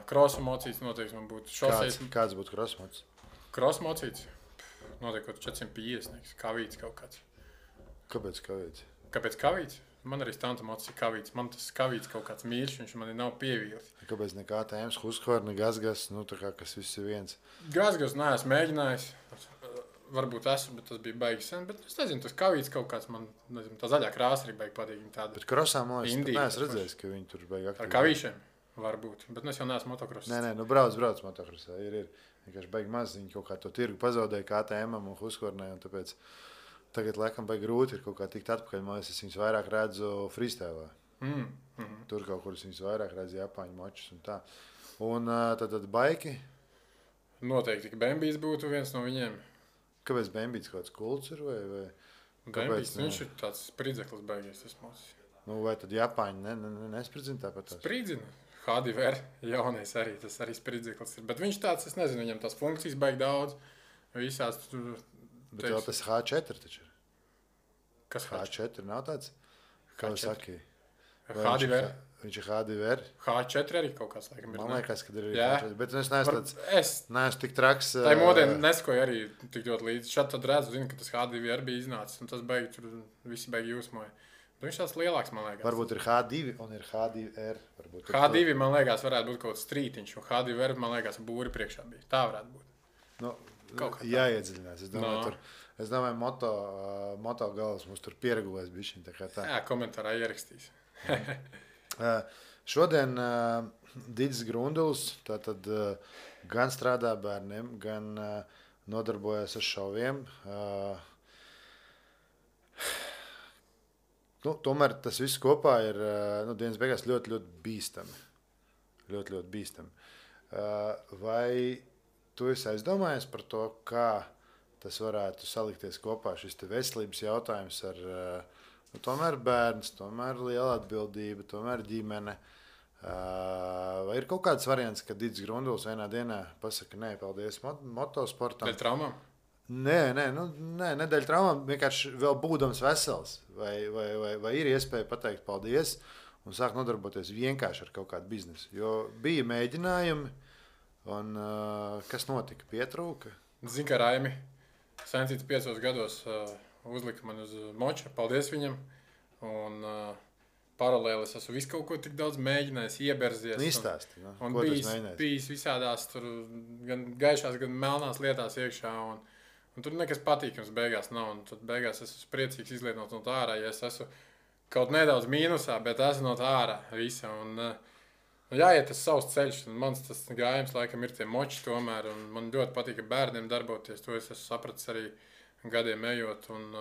Krosa mocīts noteikti man būtu. Kāds būtu krosa mocīts? Krosa mocīts? Noteikti 450. Kavīts kaut kāds. Kāpēc kavīts? Kāpēc kavīts? Man arī stanta mocis ir kavīts. Man tas kavīts kaut kāds mīļš, viņš man nav pievīlis. Kāpēc nekā tēmas, Husqvarna, Gazgas, nu tā kā kas viss ir viens? Gazgas neesmu mēģinājis. Varbūt esmu, bet tas bija baigi sen. Bet es nezinu, tas kavīts kaut kāds man, nezinu, tā zaļā krāsa arī baigi patīk. Bet krosā, man liekas, tu neesi redzējis, ka viņi tur baigi aktīvi. Ar kavīšiem varbūt, bet es jau neesmu motokrosā. Nē, nu brauc motokrosā. Ir. Vienkārši baigi maz, viņi kaut kā to tirgu pazaudēja KTM-am un Husqvarnai, un tāpēc tagad laikam baigi grūti ir kaut kā tikt atpakaļ. Man liekas, es viņus vairāk redzu freestylā. Tur kaut kur es viņus vairāk redzu Japāņu močus un tā. Un tad baiki? Noteikti, ka Bembijs būtu viens no viņiem. Kāpēc Bembijs kaut kāds kults ir? Vai Bembijs, viņš ir tāds spridzeklis baigies, tas mocis. Nu, vai tad Japāņi nespridzina tāpat tās? Spridzina. HDVR jaunais arī, tas arī spridzeklis ir. Bet viņš tāds, es nezinu, viņam tās funkcijas baigi daudz. Visās tur... Bet vēl tas H4 taču ir. Kas H4 nav tāds? Kā jūs saki? HDVR. Viņš ir HDVR. H4 arī kaut kāds laikam ir. Man liekas, ka ir H4. Bet es neesmu tāds... Es neesmu tik traks. Tā modē neskoju arī tik ļoti līdzi. Šad tad redzu, zinu, ka tas HDVR bija iznācis. Un tas baigi tur visi baigi jūsmoja. Bet viņš tāds lielāks, man liekas. Varbūt ir H2 un ir HDVR. H2, man liekas, varētu būt kaut kāds strītiņš. Un HDVR, man liekas, būri priekšā bija. Tā varētu būt. Nu, jāiedziļinās. Es domāju, moto galvas mums tur pieregulēs bišķiņ. Jā, komentārā ierakstīs. Šodien Didis Grunduls tātad gan strādā bērniem, gan nodarbojas ar šoviem. Tomēr tas viss kopā ir dienas beigās ļoti, ļoti bīstami. Ļoti, ļoti bīstami. Vai tu esi aizdomājies par to, kā tas varētu salikties kopā šis te veselības jautājums ar tomēr bērns, tomēr liela atbildība, tomēr ģimene? Vai ir kaut kāds variants, ka Didis Grunduls vienā dienā pasaka, nē, paldies motosportam? Dēļ traumām? Nē, nedēļ traumām, vienkārši vēl būdams vesels. Vai ir iespēja pateikt paldies un sākt nodarboties vienkārši ar kaut kādu biznesu? Jo bija mēģinājumi, un kas notika? Pietrūka? Zinu, ka Raimi Sencīts 5 gados uzlika man uz moča, paldies viņam. Un paralēli es esmu visu kaut ko tik daudz mēģinājis, ieberzies. Izstāsti, un bijis visādās tur gan gaišās, gan melnās lietās iekšā. Un tur nekas patīkams beigās nav. Un tad beigās es esmu priecīgs izlietot no tā ārā, ja es esmu kaut nedaudz mīnusā, bet esmu no tā ārā visa. Un jāiet tas savs ceļš. Un mans tas gājums laikam ir tie moči tomēr. Un man ļoti patīk ar bērniem darboties. To es esmu sapratis arī gadiem ejot. Un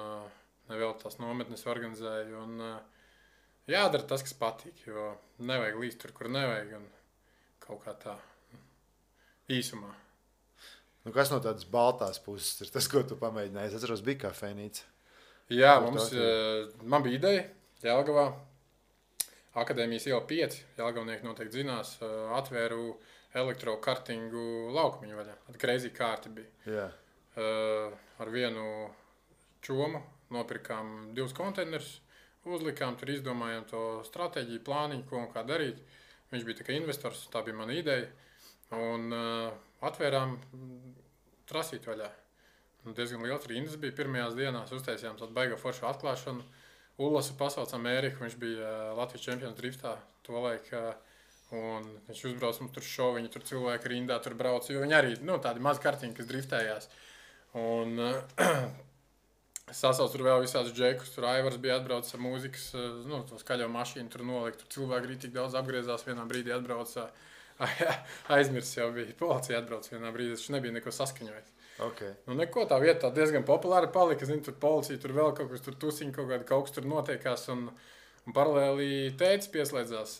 nevēl tās nometnes organizēju. Un jādara tas, kas patīk. Jo nevajag līst tur, kur nevajag. Un kaut kā tā īsumā. Kas no tādas baltās puses ir tas, ko tu pamēģināji? Es atceros, bija kafejnīca. Jā, man bija ideja Jelgavā. Akadēmijas iela 5. Jelgavnieki noteikti zinās. Atvēru elektrokartingu laukumiņu vaļā. Crazy kārti bija. Jā. Ar vienu čomu nopirkām 2 konteinerus. Uzlikām, tur izdomājām to stratēģiju, plāniņu, ko un kā darīt. Viņš bija tikai investors, tā bija mana ideja. Un atvērām trasīt vaļā. Diezgan liels rindas bija pirmajās dienās. Uztaisījām tādu baigo foršu atklāšanu. Ullasu pasaucām Ēriku, viņš bija Latvijas čempions driftā to laiku. Un viņš uzbrauc mums tur šovu, viņi tur cilvēki rindā tur brauc, jo viņi arī tādi maz kartiņi, kas driftējās. Un sasauc tur vēl visādus džekus, tur Aivars bija atbraucis ar mūzikas, to skaļo mašīnu tur nolikt, tur cilvēki arī tik daudz apgriezās, vienā brīdī atbrauca. Aizmirs jau bija. Policija atbrauc vienā brīdī, viņš nebija neko saskaņojis. Okay. Neko tā vieta diezgan populāra palika. Zinu, tur policija, tur vēl kaut kas, tur tusiņi, kaut kas tur notiekās. Un paralēli tētis pieslēdzās.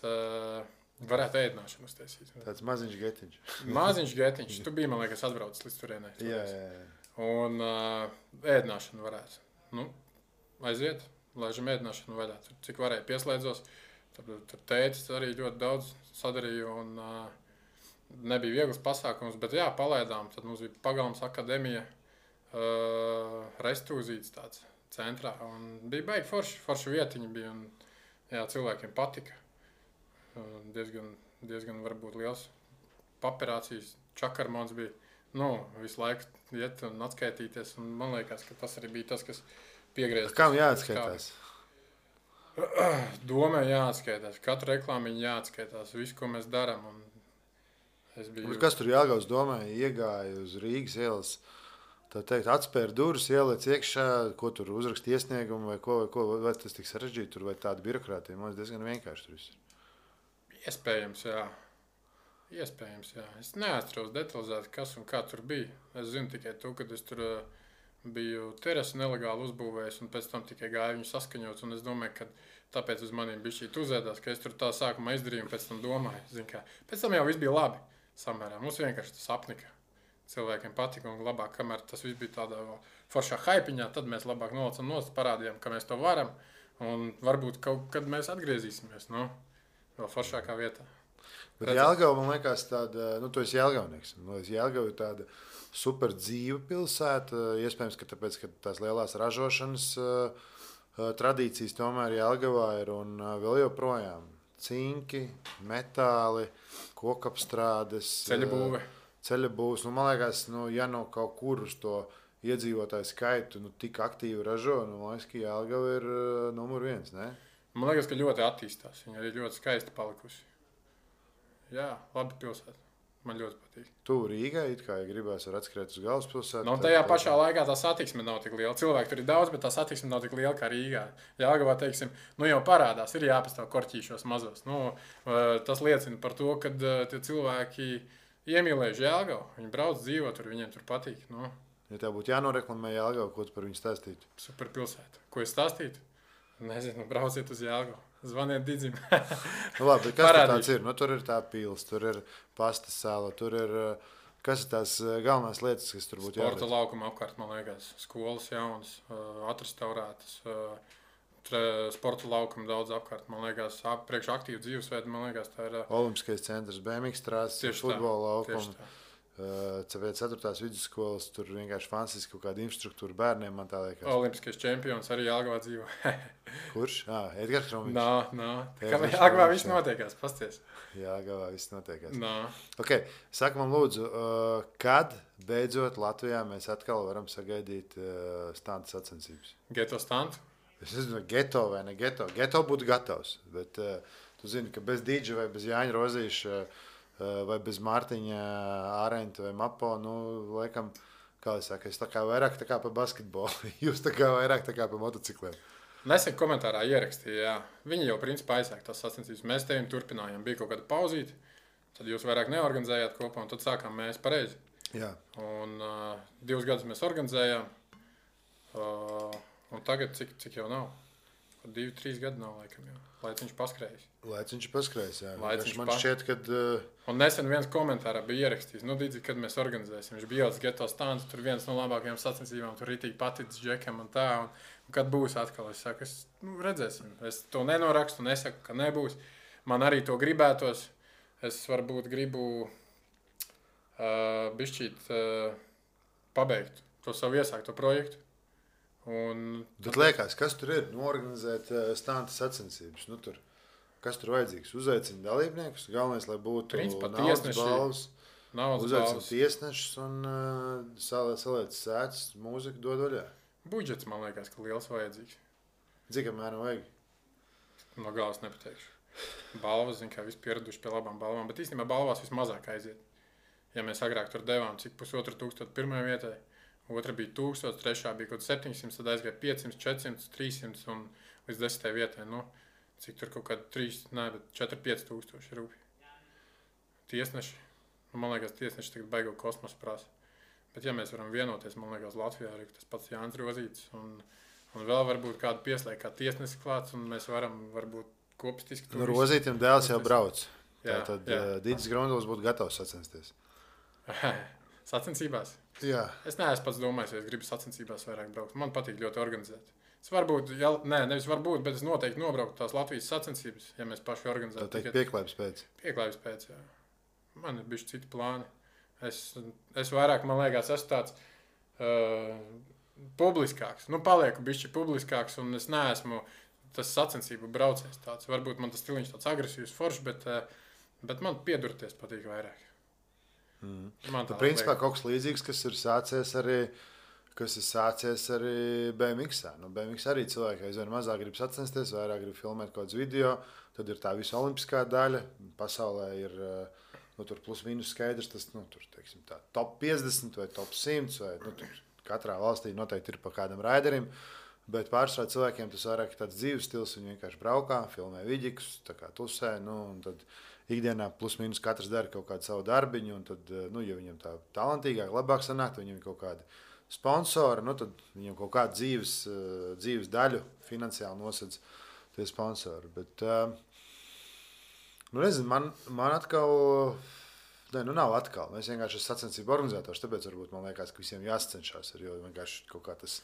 Varētu ēdināšanu uztaisīt. Tāds maziņš getiņš. Maziņš getiņš. Tu biji, man liekas, atbraucis līdz turienei. Jā. Un ēdināšanu varētu. Aiziet, laižam ēdināšanu vaļā. Tur, cik varēja pieslēdzos. Tur tētis arī ļoti daudz sadarīja un nebija viegls pasākums, bet jā, palaidām. Tad mums bija Pagalmas akadēmija, restūzīts tāds centrā. Un bija baigi forši vietiņi bija un jā, cilvēkiem patika. Diezgan varbūt liels paperācijas. Čakarmons bija, visu laiku iet un atskaitīties. Un man liekas, ka tas arī bija tas, kas piegriezās. Kam jāatskaitās? Domē jāatskaitās. Katru reklāmiņu jāatskaitās. Visu, ko mēs darām. Bet kas tur Jelgavas domē? Iegāja uz Rīgas ielas. Tā teikt, atspēra durvis, ieliec iekšā, ko tur uzrakst iesniegumu vai ko. Vai tas tik sarežģīti tur vai tāda birokrātija? Man diezgan vienkārši tur viss. Iespējams, jā. Es neatceros detalizēti, kas un kā tur bija. Es zinu tikai to, ka es tur biju terasi nelegāli uzbūvējis un pēc tam tikai gāju viņu saskaņot. Un es domāju, ka tāpēc uz maniem bija šī uzēdās, ka es tur tā sākumā izdarīju un pēc tam domāju. Zin, kā. Pēc tam jau viss bija labi samērā. Mums vienkārši tas apnika. Cilvēkiem patika un labāk, kamēr tas viss bija tādā foršā haipiņā, tad mēs labāk nolicam nost, parādījām, ka mēs to varam. Un varbūt kaut kad mēs atgriezīsimies, vēl foršākā vietā. Bet Jelgava, man liekas, tāda, tu esi Jelgavnieks. Jelgava ir tāda super dzīva pilsēta. Iespējams, ka tāpēc, ka tās lielās ražošanas tradīcijas tomēr Jelgavā ir un vēl joprojām cinki, metāli, kokapstrādes, ceļa būvs. Man liekas, ja kaut kur uz to iedzīvotāju skaitu tik aktīvi ražo, man liekas, ka Jelgava ir numur 1, ne? Man liekas, ka ļoti attīstās. Viņa arī ļoti skaisti palikusi. Jā, labi pilsēta. Man ļoti patīk. Tu Rīgai, ja gribēs, var atskriet uz galvaspilsētu. Tajā pašā laikā tā satiksme nav tik liela. Cilvēki tur ir daudz, bet tā satiksme nav tik liela kā Rīgā. Jelgavā, teiksim, jau parādās, ir jāpastāv korķīšos mazos. Tas liecina par to, ka tie cilvēki iemīlējuši Jelgavu. Viņi brauc, dzīvo tur, viņiem tur patīk. Ja tev būtu jānoreklamē Jelgavu, ko tu par viņu stāstītu? Super pilsēta. Ko es stāstītu? Nezinu, brauciet uz Jelgavu. Zvaniet Didzim. Labi, kas tur tāds ir? Tur ir tā pils, tur ir pastas sala, tur ir, kas ir tās galvenās lietas, kas tur būtu jāredz? Sporta laukuma apkārt, man liekas, skolas jaunas, atrestaurētas, sporta laukuma daudz apkārt, man liekas, priekš aktīvu dzīvesveidu, man liekas, tā ir... Olimpiskais centrs, BMX trāses, futbola laukuma. 4. vidusskolas, tur vienkārši fantastiski kaut kāda infrastruktūra bērniem, man tā liekas. Olimpiskais čempions arī Jelgavā dzīvo. Kurš? Edgars Kromiņš. Kā Jelgavā viss notiekās, pasties. Jelgavā viss notiekās. Ok, saka man lūdzu, kad beidzot Latvijā mēs atkal varam sagaidīt stantu sacensības? Geto stantu? Es nezinu, geto vai ne geto. Geto būtu gatavs, bet tu zini, ka bez Dīdža vai bez Jāņa Rozīša vai bez Mārtiņa Ārenta vai Mapo, laikam, kā es saku, es tā kā vairāk tā kā pa basketbolu, jūs tā kā vairāk tā kā pa motocikliem. Nesen komentārā ierakstīja, jā. Viņi jau principā aizsāk tās sacensības. Mēs tevim turpinājām, bija kaut kāda pauzīte, tad jūs vairāk neorganizējāt kopā, un tad sākām mēs pareizi. Jā. Un 2 gadus mēs organizējām, un tagad cik jau nav? 2-3 gadi nav, laikam, jau. Laiciņš paskrējis. Laiciņš paskrējis, jā. Man šķiet, kad... Un nesen viens komentārā bija ierakstījis, Didzi, kad mēs organizēsim. Viņš bija ielicis geto standu, tur viens no labākajām sacensībām, tur ritīgi paticis džekam un tā. Un kad būs atkal, es saku, redzēsim. Es to nenorakstu, nesaku, ka nebūs. Man arī to gribētos. Es varbūt gribu bišķīt pabeigt to savu iesākto projektu. Bet liekas, kas tur ir? Organizēt stanta sacensības. Kas tur vajadzīgs? Uzaicina dalībniekus. Galvenais, lai būtu naudas balvas. Uzaicina tiesnešus un saliec sēdus, mūziku dod vaļā. Budžets, man liekas, ka liels vajadzīgs. Cik apmēram vajag? No galvas nepateikšu. Balvas, kā visi pieraduši pie labām balvām, bet īstenībā balvās vismazāk aiziet. Ja mēs agrāk tur devām, cik 1500 pirmajai vietai, otra bija 1000, trešā bija kaut 700, tad aizgāja 500, 400, 300 un līdz 10. vietai. Cik tur kaut kādi 4-5 tūkstoši rūpīgi. Tiesneši. Man liekas, tiesneši tagad baigo kosmosu prasa. Bet ja mēs varam vienoties, man liekas, Latvijā arī tas pats Jānis Rozītis un vēl varbūt kādu pieslēgt kā tiesnesi klāts un mēs varam varbūt kopistiski... Rozītim dēls jau brauc. Tātad Dīdis Grunduls būtu gatavs sacensties. Sacensībās? Jā. Es neesmu pats domājis, ja es gribu sacensībās vairāk braukt. Man patīk ļoti organizēt. Es varbūt, nevis varbūt, bet es noteikti nobrauktu tās Latvijas sacensības, ja mēs paši organizētu. Tā teikt pieklājības pēc. Pieklājības pēc, jā. Man ir bišķi citi plāni. Es vairāk, man liekas, esmu tāds publiskāks. Palieku bišķi publiskāks un es neesmu tas sacensību braucējs tāds. Varbūt man tas stiliņš tāds agresīvs foršs, bet man piedurties patīk vairāk. Principā kaut kas līdzīgs, kas ir sācies arī kas ir sācies arī BMX. Nu, BMX arī cilvēki aizvien mazāk grib sacensties, vairāk grib filmēt kaut kādus video. Tad ir tā visa olimpiskā daļa. Pasaulē ir tur plus mīnus skaidrs, tas tur, teiksim, tā, top 50 vai top 100. Vai, tur katrā valstī noteikti ir pa kādam raiderim. Bet pārsvarā cilvēkiem tas vairāk ir tāds dzīves stils. Viņi vienkārši braukā, filmē vidikus, tā kā tusē. Un tad ikdienā plus mīnus katrs dara kaut kādu savu darbiņu. Un tad, ja viņam tā talantīgāk, labāk sanāk, viņam ir kaut kādi sponsori, tad viņam kaut kādu dzīves daļu finansiāli nosedz tie sponsori. Bet, nezinu, man atkal, nav atkal. Mēs vienkārši esam sacensību organizatori, tāpēc varbūt man liekas, ka visiem jāsacenšas, jo vienkārši kaut kā tas...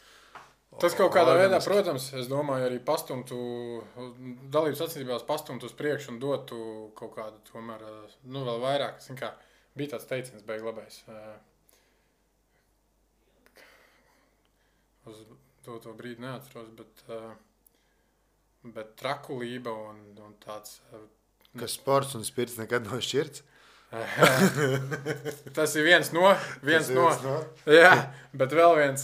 Tas kaut kādā veidā, protams, es domāju, arī pastumtu, dalības sacensībās pastumtu uz priekšu un dotu kaut kādu tomēr, vēl vairāk. Zin kā, bija tāds teiciens beig labais. Uz to brīdi neatceros, bet trakulība un tāds... Ka sports un spirts nekad nav šķirts? Tas ir viens no. Jā, bet vēl viens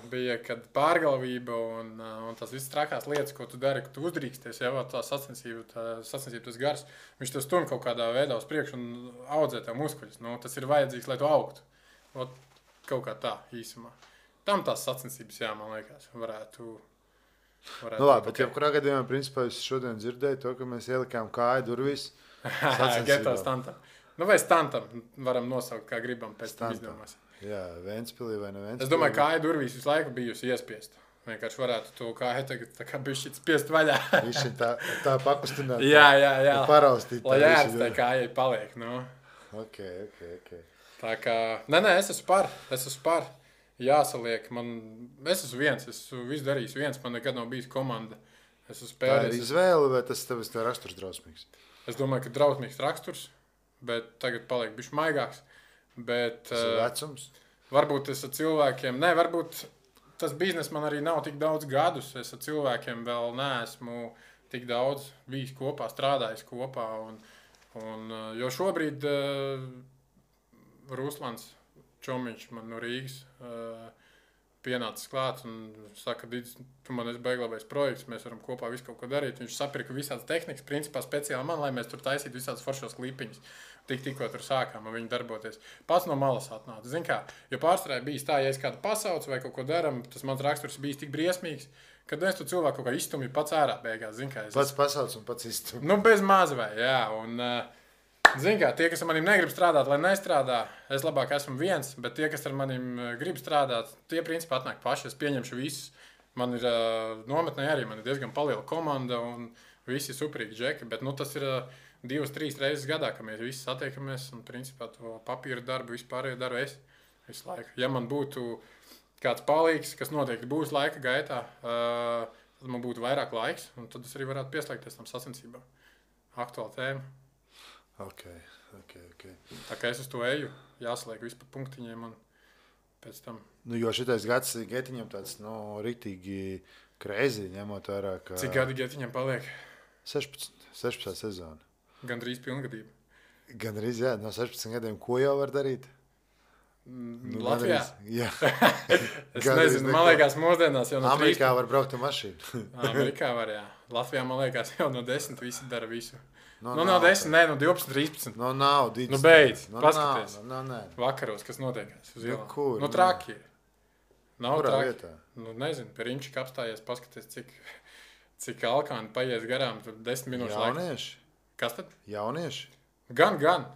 bija, kad pārgalvība un tās visas trakās lietas, ko tu dari, ka tu uzdrīksties, jau tā sacensība, tas gars, viņš tev stum kaut kādā veidā uz priekšu un audzē tev muskuļus. Tas ir vajadzīgs, lai tu augtu. Kaut kā tā īsumā. Tam tās sacensības, man liekas, varētu labi, bet jebkurā gadījumā, principā, es šodien dzirdēju to, ka mēs ielikām kāju durvīs Geto stantam. Vai stantam varam nosaukt, kā gribam pēc tam izdomās. Jā, Ventspilī vai ne Ventspilī. Es domāju, kāja durvīs visu laiku bijusi iespiesta. Vienkārši varētu to kāju tagad tā kā bišķīt spiest vaļā. Viņš tā pakustināt. Jā. Paraustīt. Lai ēst tā kājai paliek, Ok. Tā kā, es esmu par. Jāsaliek, es esmu viens, es visu darīju viens, man nekad nav bijis komanda. Tā ir izvēle, vai tas tev ir raksturs drausmīgs? Es domāju, ka drausmīgs raksturs, bet tagad paliek bišķi maigāks. Tas ir vecums? Varbūt es ar cilvēkiem, varbūt tas biznes man arī nav tik daudz gadus, es ar cilvēkiem vēl neesmu tik daudz bijis kopā, strādājis kopā. Jo šobrīd Ruslans Čomiņš man no Rīgas pienācis klāt un saka, Didis, tu man esi beiglabais projekts, mēs varam kopā visu kaut ko darīt. Viņš sapirka visādas tehnikas, principā speciāli man, lai mēs tur taisītu visādas foršos klipiņus. Tikko tur sākām ar viņu darboties. Pats no malas atnāca. Zin kā, jo pārsvarā bijis tā, ja es kādu pasaucu vai kaut ko daram, tas mans raksturs bijis tik briesmīgs, kad es tu cilvēku kaut kā izstumju pats ārā beigās. Zin kā, pats pasauc un pats izstumju. Bez maz vai, jā. Un, zin kā, tie, kas ar manim negrib strādāt, lai nestrādā, es labāk esmu viens, bet tie, kas ar manim grib strādāt, tie principā atnāk paši, es pieņemšu visus. Man ir nometnē arī, man ir diezgan paliela komanda un visi superīgi džeki, bet tas ir 2-3 reizes gadā, ka mēs visi satiekamies un principā to papīra darbu vispārējo daru es visu laiku. Ja man būtu kāds palīgs, kas noteikti būs laika gaitā, tad man būtu vairāk laiks un tad es arī varētu pieslēgties tam sacensībām. Aktuāla tēma. Ok. Tā kā es uz to eju, jāsaliek visu pa punktiņiem un pēc tam. Jo šitais gads Getiņam tāds, riktīgi crazy, ņemot vērā, ka... Cik gadi Getiņam paliek? 16 sezona. Gandrīz pilngadība. Gandrīz, jā, no 16 gadiem, ko jau var darīt? Latvijā? Jā. Es nezinu, man liekas, mūsdienās jau no 13. Amerikā var braukt ar mašīnu. Amerikā var, jā. Latvijā, man liekas, jau no 10 visi dara visu. No 10, no 12, 13. Nav, beidz, paskaties. Vakaros, kas notiekās uz ielām. Kur? Traki. Nav traki. Vietā? Nezinu, pie Rimčika apstājies, paskaties, cik alkāni paies garām, tur 10 minūšu laikā. Jaunieši? Kas tad? Jaunieši? Gan.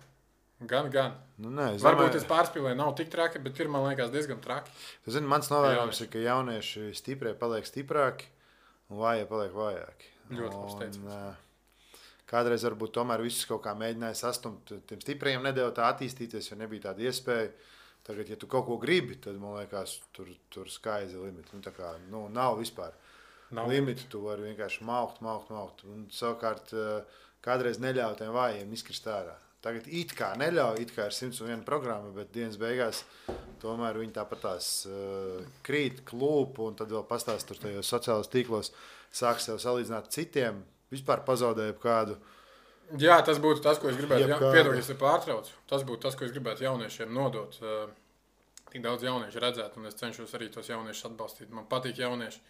Varbūt es pārspīlēju, nav tik traki, bet ir, man liekas, diezgan traki. Tu zini, mans novērojums ir, ka jaunieši stiprie paliek stiprāki un vājie paliek vājāki. Ļoti labs teiciens. Kādreiz varbūt tomēr visus kaut kā mēģināja sastumt, tiem stiprajiem nedēļ tā attīstīties, jo nebija tāda iespēja. Tagad, ja tu kaut ko gribi, tad, man liekas, tur sky is the limit. Nav vispār limita, tu vari vienkārši maukt. Un savukārt kādreiz neļauj tiem vājiem izkrist ārā. Tagad it kā neļauj, it kā ir 101 programma, bet dienas beigās tomēr viņi tāpat tās krīt, klūp, un tad vēl pastāst tur tajos sociālos tīklos, sāk sev salīdzināt citiem, vispār pazaudēju kādu. Jā, tas būtu tas, ko es gribētu, piedodies, ja pārtraucu. Tas būtu tas, ko es gribētu jauniešiem nodot. tik daudz jauniešu redzēt, un es cenšos arī tos jauniešus atbalstīt. Man patīk jaunieši.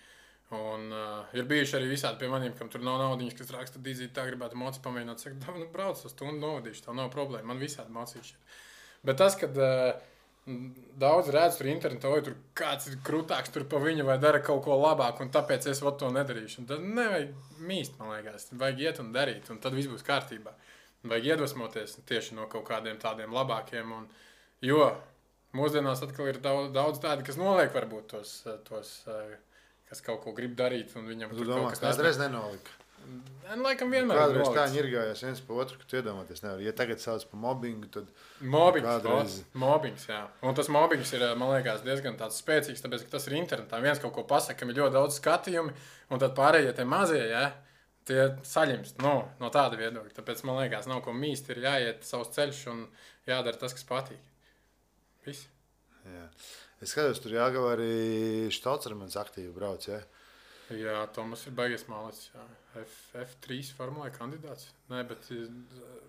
Un ir bijuši arī visādi pie maniem, kam tur nav naudiņas, kas raksta dīzīt, tā gribētu moci pamēģināt. Saka, nu, brauc uz stundu novadīšu, tā nav problēma. Man visādi mocīši. Bet tas, kad daudz redz tur internetā, vai tur kāds ir krūtāks tur pa viņu, vai dara kaut ko labāk, un tāpēc es to nedarīšu. Un tad nevajag mīst, man liekas. Vajag iet un darīt, un tad viss būs kārtībā. Vajag iedvesmoties tieši no kaut kādiem tādiem labākiem. Jo mūsdienās atkal ir daudz tādi, kas noliek varbūt tos kas kaut ko grib darīt, un viņam tur kaut kas kādreiz nenolika. Laikam vienmēr kādreiz tā ņirgājās viens pa otru, ka tu iedomāties nevar. Ja tagad sauc par mobbingu, tad Mobbings, jā. Un tas mobbings ir, man liekas, diezgan tāds spēcīgs, tāpēc, ka tas ir internetā. Viens kaut ko pasaka, kam ir ļoti daudz skatījumi, un tad pārējie tie mazie, ja, tie saļimst no tāda viedokļa. Tāpēc, man liekas, nav ko mīst, ir jāiet savus ceļus un jādara tas, kas patīk. Viss. Jā. Es skatos, tur Jāgava arī Štolcermans aktīvi brauc, ja? Jā, Tomas ir baigies mālēts, jā. F3 formulē kandidāts. Nē, bet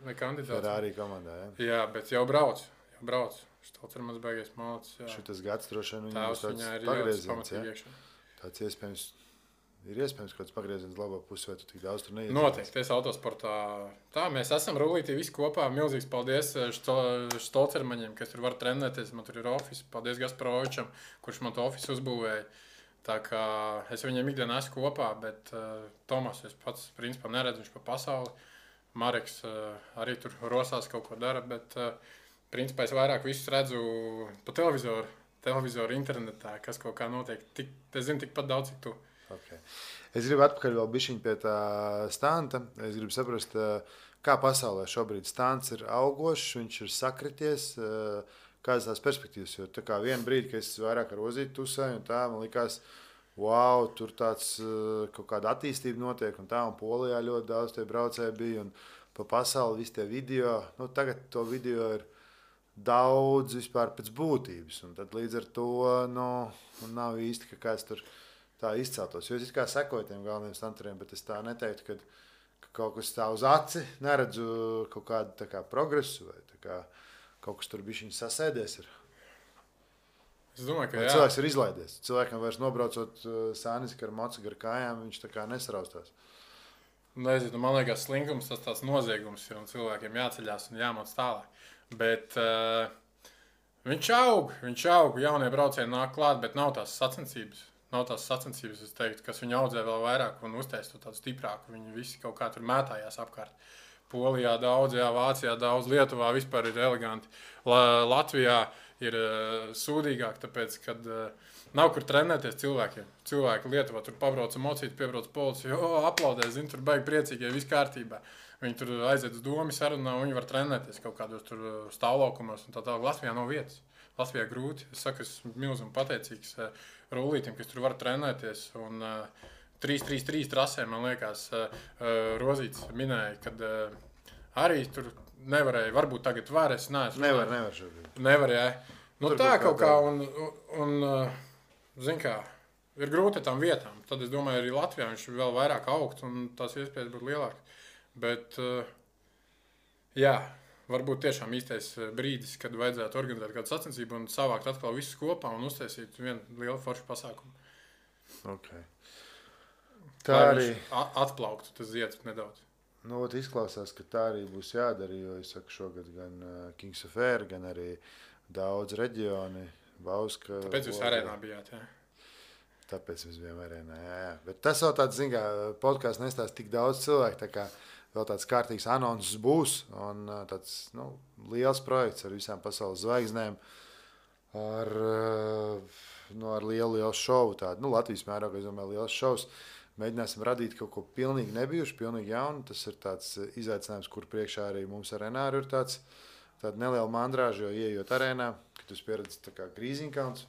ne kandidāts. Ferrari komandā, ja? Jā, bet jau brauc. Štolcermans baigies mālēts, jā. Šitas gads droši vien viņam būs tāds pagrieziens, ja? Tāds iespējams kaut kāds pagrieziens labā pusē, vai tu tik daudz tur neiet? Noteikti, es autosportā. Tā, mēs esam rullītī visi kopā. Milzīgs paldies Štolcermaņiem, kas tur var trenēties. Man tur ir office. Paldies Gasparovičam, kurš man to office uzbūvēja. Tā kā es viņiem ikdienā esmu kopā, bet Tomas es pats principā neredzu, viņš pa pasauli. Mareks arī tur rosās kaut ko dara, bet principā es vairāk visus redzu pa televizoru internetā, kas kaut kā notiek. Es zinu tikpat daudz, cik tu. Okay. Es gribu atpakaļ vēl bišķiņ pie tā stanta. Es gribu saprast, kā pasaulē šobrīd stants ir augošs, viņš ir sakrities, kādas tās perspektīvas. Jo tā kā vienu brīdi, kad es vairāk ar Ozīti tusēju, un tā man likās, wow, tur tāds kaut kāda attīstība notiek, un tā, un Polijā ļoti daudz tie braucēji bija, un pa pasauli visi tie video. Nu, tagad to video ir daudz vispār pēc būtības, un tad līdz ar to, nav īsti, ka kāds tur tā izceltos. Jo es kā sekoju tiem galveniem stanteriem, bet es tā neteiktu, ka kaut kas tā uz aci neredzu kaut kādu tā kā progresu vai tā kā kaut kas tur bišķiņ sasēdies ir. Es domāju, ka jā. Cilvēks ir izlaidies. Cilvēkam vairs nobraucot sāniski ar mocu gar kājām, viņš tā kā nesaraustās. Nezinu, man liekas, slinkums tas tāds noziegums ir un cilvēkiem jāceļās un jāmāc tālāk. Bet viņš aug, jaunie braucēji nāk klāt, bet nav tās sacensības. Es teiktu, kas viņu audzē vēl vairāk un uztais to tādu stiprāku. Viņi visi kaut kā tur mētājās apkārt. Polijā daudz, jā, Vācijā daudz, Lietuvā vispār ir eleganti. Latvijā ir sūdīgāk, tāpēc, kad nav kur trenēties cilvēkiem. Cilvēki Lietuvā tur pabrauca mocīt, piebrauc policija, aplaudē, zin, tur baigi priecīgi, ja viss kārtībā. Viņi tur aiziet uz domu sarunā, un viņi var trenēties kaut kādos tur stāvlaukumos un tā tālāk. Latvijā nav vietas. Latvijā grūti. Es saku, esmu milzīgi pateicīgs rullītim, kas tur var trenēties. Un 3-3-3 trasē, man liekas, Rozīts minēja, kad arī tur nevarēja. Varbūt tagad var, es neesmu. Nevar šobrīd. Nevar, jā. Nu tur tā kaut kā, un zin kā, ir grūti tām vietām. Tad es domāju, arī Latvijā viņš vēl vairāk augt, un tās iespējas būtu lielākas. Bet, jā. Varbūt tiešām īstais brīdis, kad vajadzētu organizēt kādu sacensību un savākt atkal visus kopā un uztaisīt vienu lielu foršu pasākumu. Okay. Tā arī atplauktu tas zieds nedaudz. Nu, izklausās, ka tā arī būs jādara, jo es saku šogad gan Kings of Air, gan arī daudz reģioni, Bauska. Tāpēc jūs arēnā bijāt, jā? Tāpēc mēs bijām arēnā, jā. Bet tas vēl tāds, zin kā, podkāsts nestāst tik daudz cilvēku, tā kā vēl tāds kārtīgs anonsus būs un tāds liels projekts ar visām pasaules zvaigznēm, ar lielu šovu. Tādu, Latvijas mērogā, es domāju, liels šovs. Mēģināsim radīt kaut ko pilnīgi nebijuši, pilnīgi jaunu. Tas ir tāds izaicinājums, kur priekšā arī mums ar Renāru ir tāda neliela mandrāža, jo ieejot arēnā, kad tu pieredzi tā kā Grīziņkalns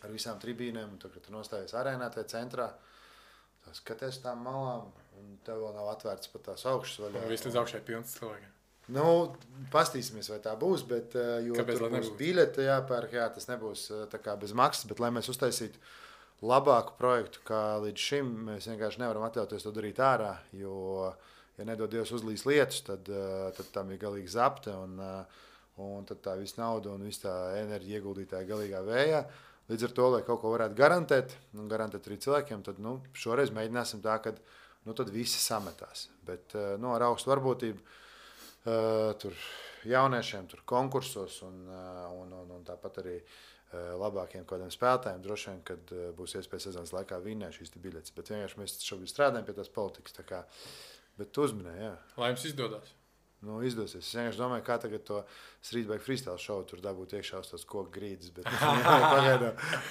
ar visām tribīnēm, un kad tu nostājies arēnā tajā centrā, skaties tām malām, un tev vēl nav atvērts pat tās augšas vaļā. Un viss līdz augšai pilns cilvēkiem. Nu, pastīsimies, vai tā būs, bet jo kāpēc tur būs biļete jāpērk, tas nebūs tā kā bez maksas, bet lai mēs uztaisītu labāku projektu, kā līdz šim, mēs vienkārši nevaram atļauties to darīt ārā, jo, ja nedod Dievs uzlīs lietus, tad tam ir galīgi zapte, un tad tā visa nauda un visa tā enerģija ieguldītāja galīgā vējā. Līdz ar to, lai kaut ko varētu garantēt, un garantēt arī cilvēkiem, tad šoreiz mēģināsim tā, ka tad visi sametās. Bet ar augstu varbūtību tur jauniešiem, tur konkursos un tāpat arī labākiem kādiem spēlētājiem droši vien, kad būs iespēja sezonas laikā vinnēt šīs biļetes. Bet vienkārši mēs šobrīd strādājam pie tās politikas. Bet tu uzminēji, jā. Lai jums izdodas. Izdosies. Es vienkārši domāju, kā tagad to Streetbike freestyle šovu tur dabūt iekšā uz tās koku grīdas, bet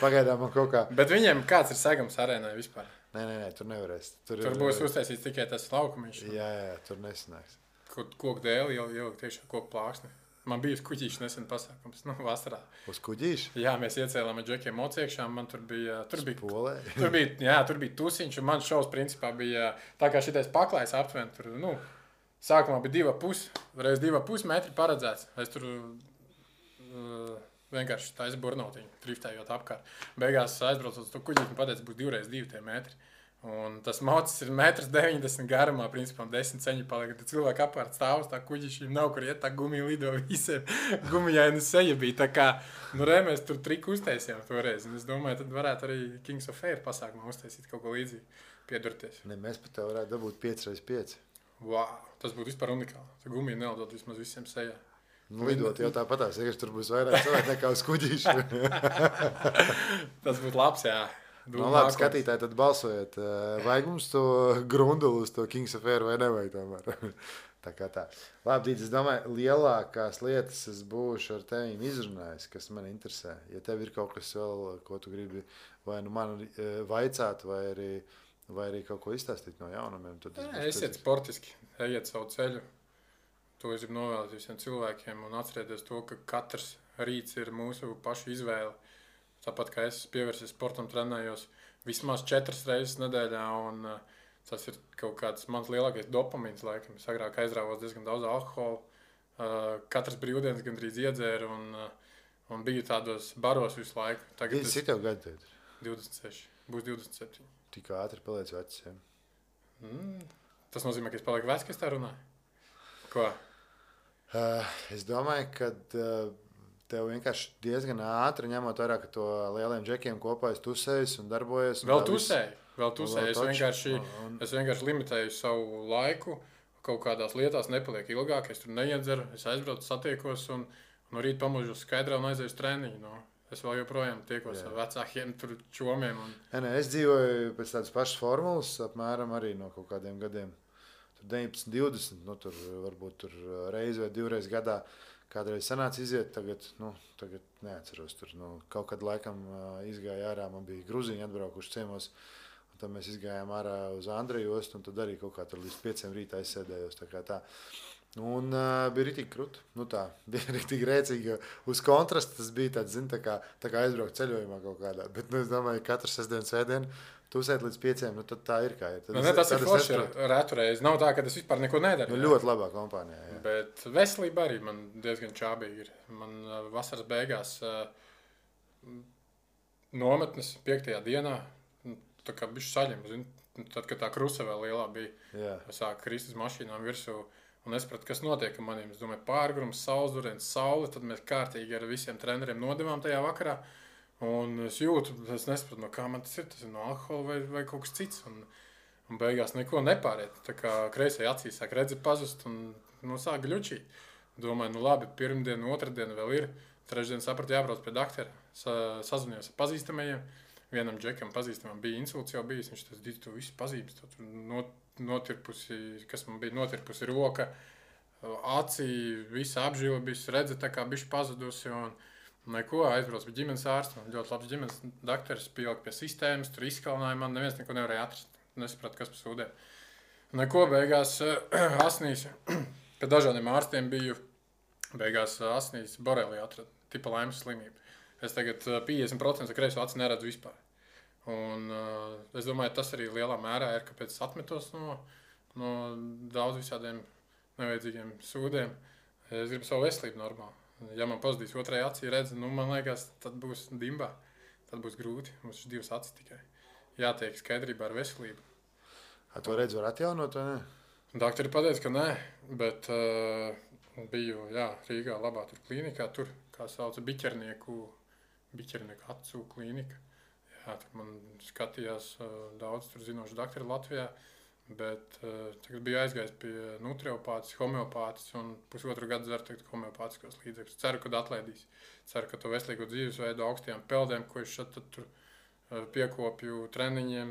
pagaidām man kaut kā... Bet viņiem kāds ir segams arēnai vispār? Nē, tur nevarēs. Tur būs uztaisīts tikai tas laukumiņš. Jā, tur nesanāks. Koku dēli jau tiešām koku plāksni. Man bija uz kuģīšu nesen pasākums, vasarā. Uz kuģīšu? Jā, mēs iecēlām ar džekiem mociekšā, man tur bija tur bija tusiņš, un man šovs principā bija tā kā šitais paklājs aptuveni, tur, sākumā bija 2,5 metri paredzēts. Es tur vienkārši taisu burnotiņu, driftējot apkārt. Beigās aizbraucot uz to kuģīti un pateicu, būs 2x2 tie metri. Un tas mocis ir 1,90 m garumā, principā 10 centimetri paliek. Tad cilvēki apkārt stāv uz tā kuģiša, nav kur iet, tā gumija lido visiem. Gumijaina seja bija tā kā, mēs tur triku uztaisījām toreiz. Un es domāju, tad varētu arī Kings of Air pasākumā uztaisīt kaut ko līdzīgu, piedurties. Ne, mēs pat tev varētu dabūt 5x5. Wow, tas būtu vispār unikāli. Tā gumija nelidot vismaz visiem sejā. Lidot jau tāpatās, ja tur būs vairāk cilvēku nekā uz kuģīša. Tas būtu labs, jā. Labi, skatītāji, tad balsojiet. Vajag mums to grundulu uz to Kings of Air vai nevajag tomēr? tā. Labi, Dīdz, es domāju, lielākās lietas es būšu ar tevīm izrunājis, kas man interesē. Ja tev ir kaut kas vēl, ko tu gribi vai man vaicāt, vai arī kaut ko izstāstīt no jaunumiem, tad esiet sportiski, ejiet savu ceļu. To es gribu novēlēt visiem cilvēkiem un atcerieties to, ka katrs rīts ir mūsu pašu izvēle. Tāpat kā es pievērsies sportam, trenējos vismaz 4 reizes nedēļā, un tas ir kaut kāds mans lielākais dopamīns laikam. Es agrāk aizrāvos diezgan daudz alkohola, katras brīvdienas gandrīz iedzēru un biju tādos baros visu laiku. Tagad cik tev gadu tev ir? 26, būs 27. Tik ātri paliec vecs, ja? Tas nozīmē, ka es palieku vecs, ka es tā runāju? Ko? Es domāju, ka... Tev vienkārši diezgan ātri ņemot vērā, ka to lieliem džekiem kopā es tusēju un darbojos. Vēl tusēju. Es vienkārši limitēju savu laiku. Kaut kādās lietās nepaliek ilgāk. Es tur neiedzeru, es aizbraucu, satiekos un rīt pamožos skaidrā un aizēju uz treniņu. Es vēl joprojām tiekos ar vecākiem tur čomiem. Es dzīvoju pēc tādas pašas formulas, apmēram arī no kaut kādiem gadiem. Tur 19, 20, tur varbūt tur reizi vai 2 reizes gadā. Kādreiz sanāca iziet, tagad neatceros. Tur, kaut kad laikam izgāja ārā, man bija Gruziņi atbraukuši ciemos, un tad mēs izgājām ārā uz Andreju ostu, un tad arī kaut kā tur līdz 5 rītā aizsēdējos. Tā. Un bija ritīgi krūti. Bija ritīgi rēcīgi. Uz kontrastu tas bija tāds, tā kā aizbraukt ceļojumā kaut kādā. Bet es domāju, ka katru sestdienu, svētdienu tusēt līdz 5, tad tā ir kā ir. Tas ir forši retu reizi. Nav tā, ka es vispār neko nedaru. Ļoti labā kompānijā. Jā. Bet veselība arī man diezgan čābīgi ir. Man vasaras beigās nometnes 5. dienā, tā kā bišķi saļem. Tad, kad tā krusa vēl lielā bija, sāk krist uz mašīnām virsū. Un es sapratu, kas notiek ar maniem. Es domāju, pārgrums, saules, saule. Tad mēs kārtīgi ar visiem treneriem nodevām tajā vakarā. Un es jūtu, es nesapratu, no kā man tas ir. Tas ir no alkohola vai kaut kas cits. Un beigās neko nepāriet. Tā kā kreisajā acīs sāk redzēt pazust un sāk gļučīt. Domāju, labi, pirmdiena, otrdiena vēl ir. Trešdien sapratu, jābrauc pie doktora. Sazvanījos ar pazīstamajiem. Vienam džekam pazīstamam bija insults jau bijis. Viņš tas dīd, tu visu pazīst. Notirpusi, kas man bija notirpusi roka, acī, visa apžila bija redzēt, tā kā bišķi pazudusi. Neko, aizbrauc pie ģimenes ārsta. Ļoti labs ģimenes dakteris pielika pie sistēmas, tur izkalināja man, neviens neko nevarēja atrast. Nesapratu, kas pa sūdēm. Neko, beigās asnīs, kad dažādiem ārstiem biju, beigās asnīs borelī atrada, tipa laimes slimība. Es tagad 50% kreiso aci neredzu vispār. Un es domāju, tas arī lielā mērā ir, kāpēc es atmetos no daudz visādiem nevajadzīgiem sūdiem. Es gribu savu veselību normāli. Ja man pazudīs otrajā acī redzi, man liekas, tad būs dimbā. Tad būs grūti. Mums ir 2 acis tikai. Jātiek skaidrībā ar veselību. To redzi var atjaunot vai ne? Doktori pateica, ka nē, bet Biju, jā, Rīgā labā tur klīnikā, tur, kā sauca, biķernieku acu klīnika. Jā, tur man skatījās daudz tur zinoši doktori Latvijā, bet tagad biju aizgājis pie nutriopātis, homeopātis un pusotru gadu dzeru tagad homeopātiskos līdzekļus. Ceru, ka atlaidīs. Ceru, ka to veselīgo dzīvesveidu augstajām peldēm, ko es šeit tur piekopju treniņiem,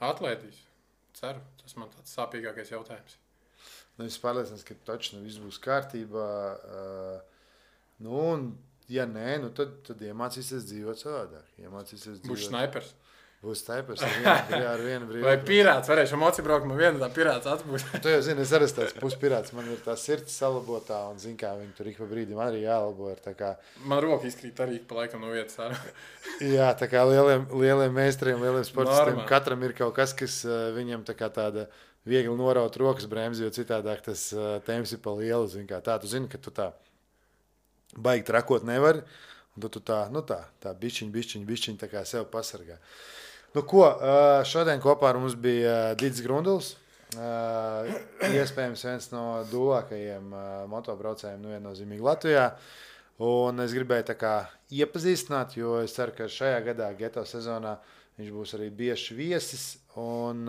atlaidīs. Ceru, tas man tāds sāpīgākais jautājums. Es pārliecināts, ka taču viss būs kārtībā. Un, ja nē, tad iemācīsies dzīvot savādāk. Būs snaipers. Būs snaipers ar vienu brīvu. Vai pirāts, varēšu moci braukt, man viena tā pirāts atbūs. Tu jau zini, es arī tāds puspirāts. Man ir tā sirds salabotā un zin kā viņi tur ik pa brīdim arī jālabo. Man roka izkrīt arī pa laikam no vietas. Jā, tā kā lieliem meistariem, lieliem sportistiem. Katram ir kaut kas, kas viņam tāda viegli noraut rokas bremzi, jo citādāk tas temps ir pa lielu. Zin kā tā, tu zini, ka tu tā baigi trakot nevari. Un tu tā bišķiņ tā kā sev pasargā. Šodien kopā ar mums bija Dits Grunduls. Iespējams viens no dūlākajiem motobraucējiem viennozīmīgi Latvijā. Un es gribēju tā kā iepazīstināt, jo es ceru, ka šajā gadā Geto sezonā viņš būs arī bieži viesis. Un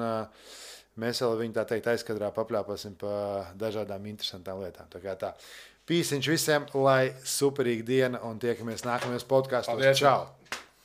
mēs vēl viņu tā teikt aizkadrā papļāpāsim pa dažādām interesantām lietām. Tā kā tā. Pīsiņš visiem, lai superīga diena un tiekamies nākamajos podkastos. Čau!